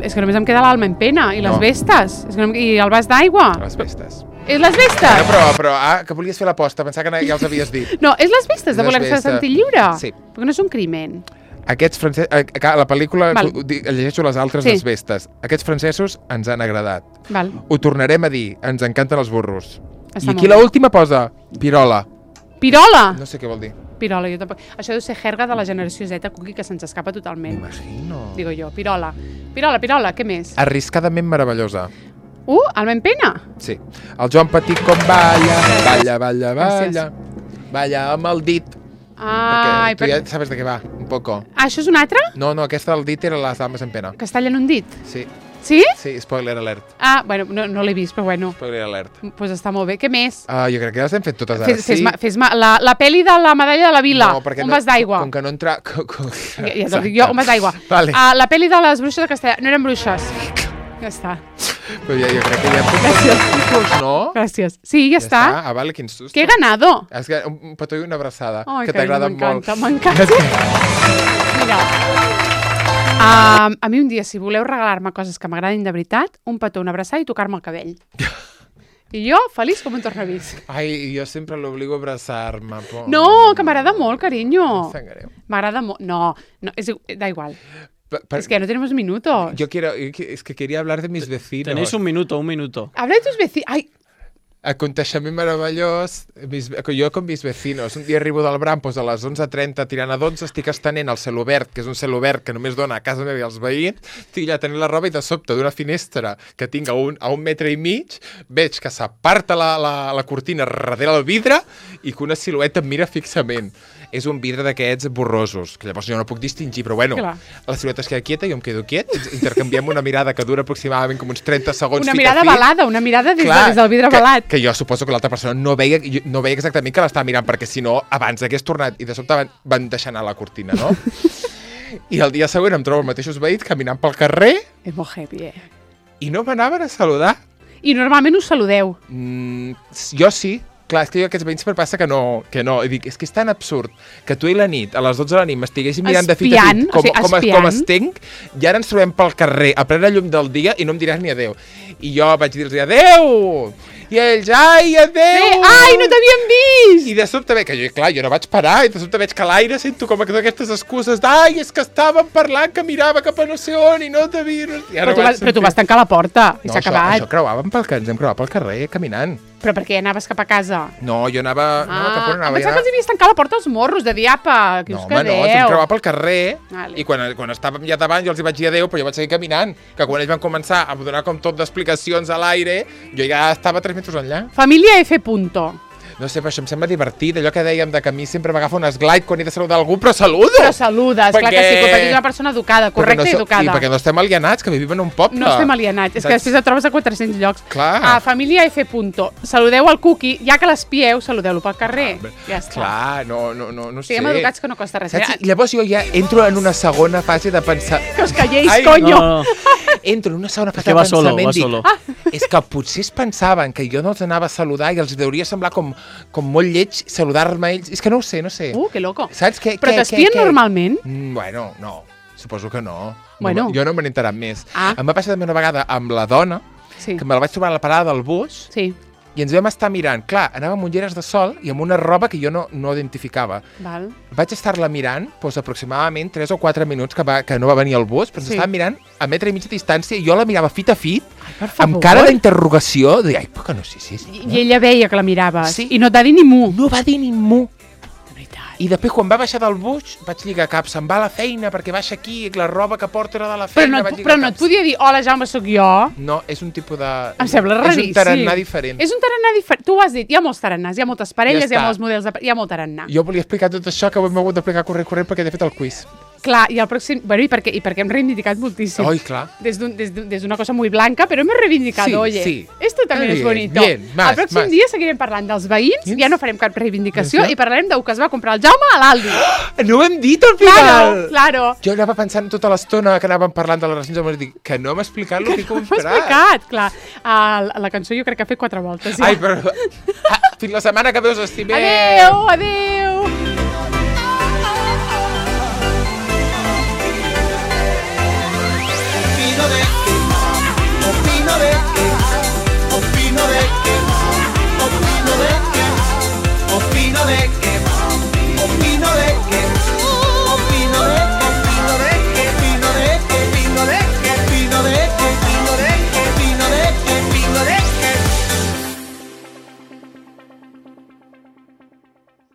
[SPEAKER 1] És que només em queda l'Alma en pena i les vestes. I el vas d'aigua.
[SPEAKER 2] Les vestes.
[SPEAKER 1] És les vestes?
[SPEAKER 2] Però que volies fer l'aposta, pensava que ja els havies dit.
[SPEAKER 1] No, és les vestes de voler-se sentir lliure?
[SPEAKER 2] Sí.
[SPEAKER 1] Perquè no és un crimen.
[SPEAKER 2] Aquests francesos... A la pel·lícula llegeixo les altres les vestes. Aquests francesos ens han agradat. Ho tornarem a dir. Ens encanten els burros. I aquí l'última posa pirola.
[SPEAKER 1] Pirola?
[SPEAKER 2] No sé què vol dir.
[SPEAKER 1] Pirola, jo tampoc. Això deu ser jerga de la generació Z, Cuqui, que se'ns escapa totalment.
[SPEAKER 2] M'imagino.
[SPEAKER 1] Digo jo, pirola. Pirola, què més?
[SPEAKER 2] Arriscadament meravellosa.
[SPEAKER 1] Alma en pena?
[SPEAKER 2] Sí. El Joan Petit com balla amb el dit.
[SPEAKER 1] Ai,
[SPEAKER 2] perquè tu ja sabes de què va, un poco.
[SPEAKER 1] Això és un altre?
[SPEAKER 2] No, aquesta del dit era les dames en pena.
[SPEAKER 1] Que es tallen un dit?
[SPEAKER 2] Sí.
[SPEAKER 1] Sí?
[SPEAKER 2] Sí, spoiler alert.
[SPEAKER 1] Bueno, no l'he vist, però bueno.
[SPEAKER 2] Spoiler alert.
[SPEAKER 1] Pues està molt bé. Què més?
[SPEAKER 2] Jo crec que les hem fet totes ara, sí.
[SPEAKER 1] Fes-me la pel·li de la medalla de la vila. Un vas d'aigua.
[SPEAKER 2] Com que no entra...
[SPEAKER 1] Ja t'ho dic jo, un vas d'aigua.
[SPEAKER 2] Vale.
[SPEAKER 1] La pel·li de les bruixes de Castellà. No eren bruixes. Ja està.
[SPEAKER 2] Però jo crec que ja hem fet tots tipus, no?
[SPEAKER 1] Gràcies. Sí, ja està.
[SPEAKER 2] Vale, quin susto.
[SPEAKER 1] Que he ganado.
[SPEAKER 2] És que un petó i una abraçada,
[SPEAKER 1] que
[SPEAKER 2] t'agrada molt.
[SPEAKER 1] M'encanta. Mira, a mi un dia, si voleu regalar-me coses que m'agradin de veritat, un petó, una abraçada i tocar-me el cabell. I jo, feliç com un tornavís.
[SPEAKER 2] Ai, jo sempre l'obligo a abraçar-me.
[SPEAKER 1] No, que m'agrada molt, carinyo. M'agrada molt. No, da igual. Es que ya no tenemos minutos.
[SPEAKER 2] Es que quería hablar de mis vecinos.
[SPEAKER 3] Tenéis un minuto.
[SPEAKER 1] Habla de tus vecinos. Ay.
[SPEAKER 2] Aconteixement meravellós. Jo con mis vecinos. Un dia arribo del Bram, doncs a les 11:30, tirant a 12, estic estenent el celobert, que és un celobert que només dona a casa meva i als veïns, estic allà tenint la roba i de sobte d'una finestra que tinc a un metre i mig, veig que s'aparta la cortina darrere el vidre i que una silueta em mira fixament. És un vidre d'aquests borrosos, que llavors jo no puc distingir, però bueno, la silueta es queda quieta, jo em quedo quiet, intercanviem una mirada que dura aproximadament com uns 30 segons.
[SPEAKER 1] Una mirada balada, una mirada des del vidre balat.
[SPEAKER 2] Que jo suposo que l'altra persona no veia exactament que l'estava mirant, perquè si no, abans hagués tornat i de sobte van deixar anar la cortina, no? I el dia següent em trobo els mateixos veïns caminant pel carrer.
[SPEAKER 1] És molt heavy,
[SPEAKER 2] I no m'anaven a saludar.
[SPEAKER 1] I normalment us saludeu.
[SPEAKER 2] Jo sí. Clar, és que jo aquests veïns per passa que no. I dic, és que és tan absurd que tu i la nit, a les 12 de la nit, m'estiguessin mirant de fit a fit com estenc, i ara ens trobem pel carrer a plena llum del dia i no em diràs ni adéu. I jo vaig dir-los adéu! I ells, ai, adéu!
[SPEAKER 1] Ai, no t'havien vist!
[SPEAKER 2] I de sobte veig, que jo no vaig parar, i de sobte veig que a l'aire sento com aquestes excuses d'ai, és que estàvem parlant, que mirava cap a no sé on i no t'havia...
[SPEAKER 1] Però tu vas tancar la porta i s'ha acabat.
[SPEAKER 2] Això ens hem creuat pel carrer caminant.
[SPEAKER 1] Però per què anaves cap a casa?
[SPEAKER 2] No, jo anava... No, cap on anava?
[SPEAKER 1] Em pensava que els havies tancat la porta als morros, de dir, apa, que us quedeu.
[SPEAKER 2] No, ens vam creuar pel carrer i quan estàvem ja davant jo els hi vaig dir adéu, però jo vaig seguir caminant, que quan ells van començar a donar com tot d'explicacions a l'aire, jo ja estava 3 metres enllà.
[SPEAKER 1] Família F.
[SPEAKER 2] No sé, però això em sembla divertit, allò que dèiem de que a mi sempre m'agafa un esglide quan he de saludar algú, però saludo!
[SPEAKER 1] Però saludes, clar que sí, perquè ets una persona educada, correcta i educada.
[SPEAKER 2] I perquè no estem alienats, que vivim en un poble.
[SPEAKER 1] No estem alienats, és que després et trobes a 400 llocs.
[SPEAKER 2] Clar.
[SPEAKER 1] Família F. Saludeu al Cuqui, ja que l'espieu, saludeu-lo pel carrer. Ja està.
[SPEAKER 2] Clar, no sé.
[SPEAKER 1] Siguem educats que no costa res.
[SPEAKER 2] Llavors jo ja entro en una segona fase de pensar...
[SPEAKER 1] Que us calléis, conyo!
[SPEAKER 2] Entro en una segona fase de pensament i dic, és que potser es pensaven que jo no els anava a saludar i els deuria semblar com molt lleig saludar-me a ells. És que no ho sé.
[SPEAKER 1] Que loco.
[SPEAKER 2] Saps què?
[SPEAKER 1] Però t'espien normalment?
[SPEAKER 2] Bueno, no. Suposo que no.
[SPEAKER 1] Bueno.
[SPEAKER 2] Jo no me n'he enterat més. Em va passar també una vegada amb la dona, que me la vaig trobar a la parada del bus, i ens vam estar mirant. Clar, anava amb ulleres de sol i amb una roba que jo no identificava. Vaig estar-la mirant aproximadament 3 o 4 minuts que no va venir el bus, però ens estàvem mirant a 1,5 metres de distància i jo la mirava fit a fit, amb cara d'interrogació, de ai, però que no sé si és...
[SPEAKER 1] I ella veia que la miraves i no et va dir ni mu.
[SPEAKER 2] No va dir ni mu. I després, quan va baixar del bus, vaig lligar cap, se'n va a la feina, perquè baixa aquí, la roba que porta era de la feina.
[SPEAKER 1] Però no et podia dir, hola, Jaume, sóc jo?
[SPEAKER 2] No, és un tipus de...
[SPEAKER 1] Em sembla raríssim.
[SPEAKER 2] És un tarannà diferent.
[SPEAKER 1] És un tarannà diferent. Tu ho has dit, hi ha molts tarannàs, hi ha moltes parelles, hi ha molts models, hi ha molt tarannà.
[SPEAKER 2] Jo volia explicar tot això, que ho hem hagut d'explicar corrent, perquè he fet el quiz.
[SPEAKER 1] Clar, i el pròxim... Bueno, i perquè hem reivindicat moltíssim.
[SPEAKER 2] Oi, clar.
[SPEAKER 1] Des d'una cosa muy blanca, però hem reivindicat, oye.
[SPEAKER 2] Sí.
[SPEAKER 1] Esto también es bonito.
[SPEAKER 2] Bien, más,
[SPEAKER 1] el pròxim dia seguirem parlant dels veïns, ja no farem cap reivindicació, i parlarem d'u que es va comprar el Jaume a l'Aldi.
[SPEAKER 2] No ho hem dit al final!
[SPEAKER 1] Claro.
[SPEAKER 2] Jo anava pensant tota l'estona que anàvem parlant de les racions, em vaig dir que no m'ha explicat el que he comprat.
[SPEAKER 1] No m'ha explicat, clar. La cançó jo crec que ha fet 4 voltes. Ja.
[SPEAKER 2] Ai, però... Fins la setmana que ve us estimem.
[SPEAKER 1] Adéu, adéu.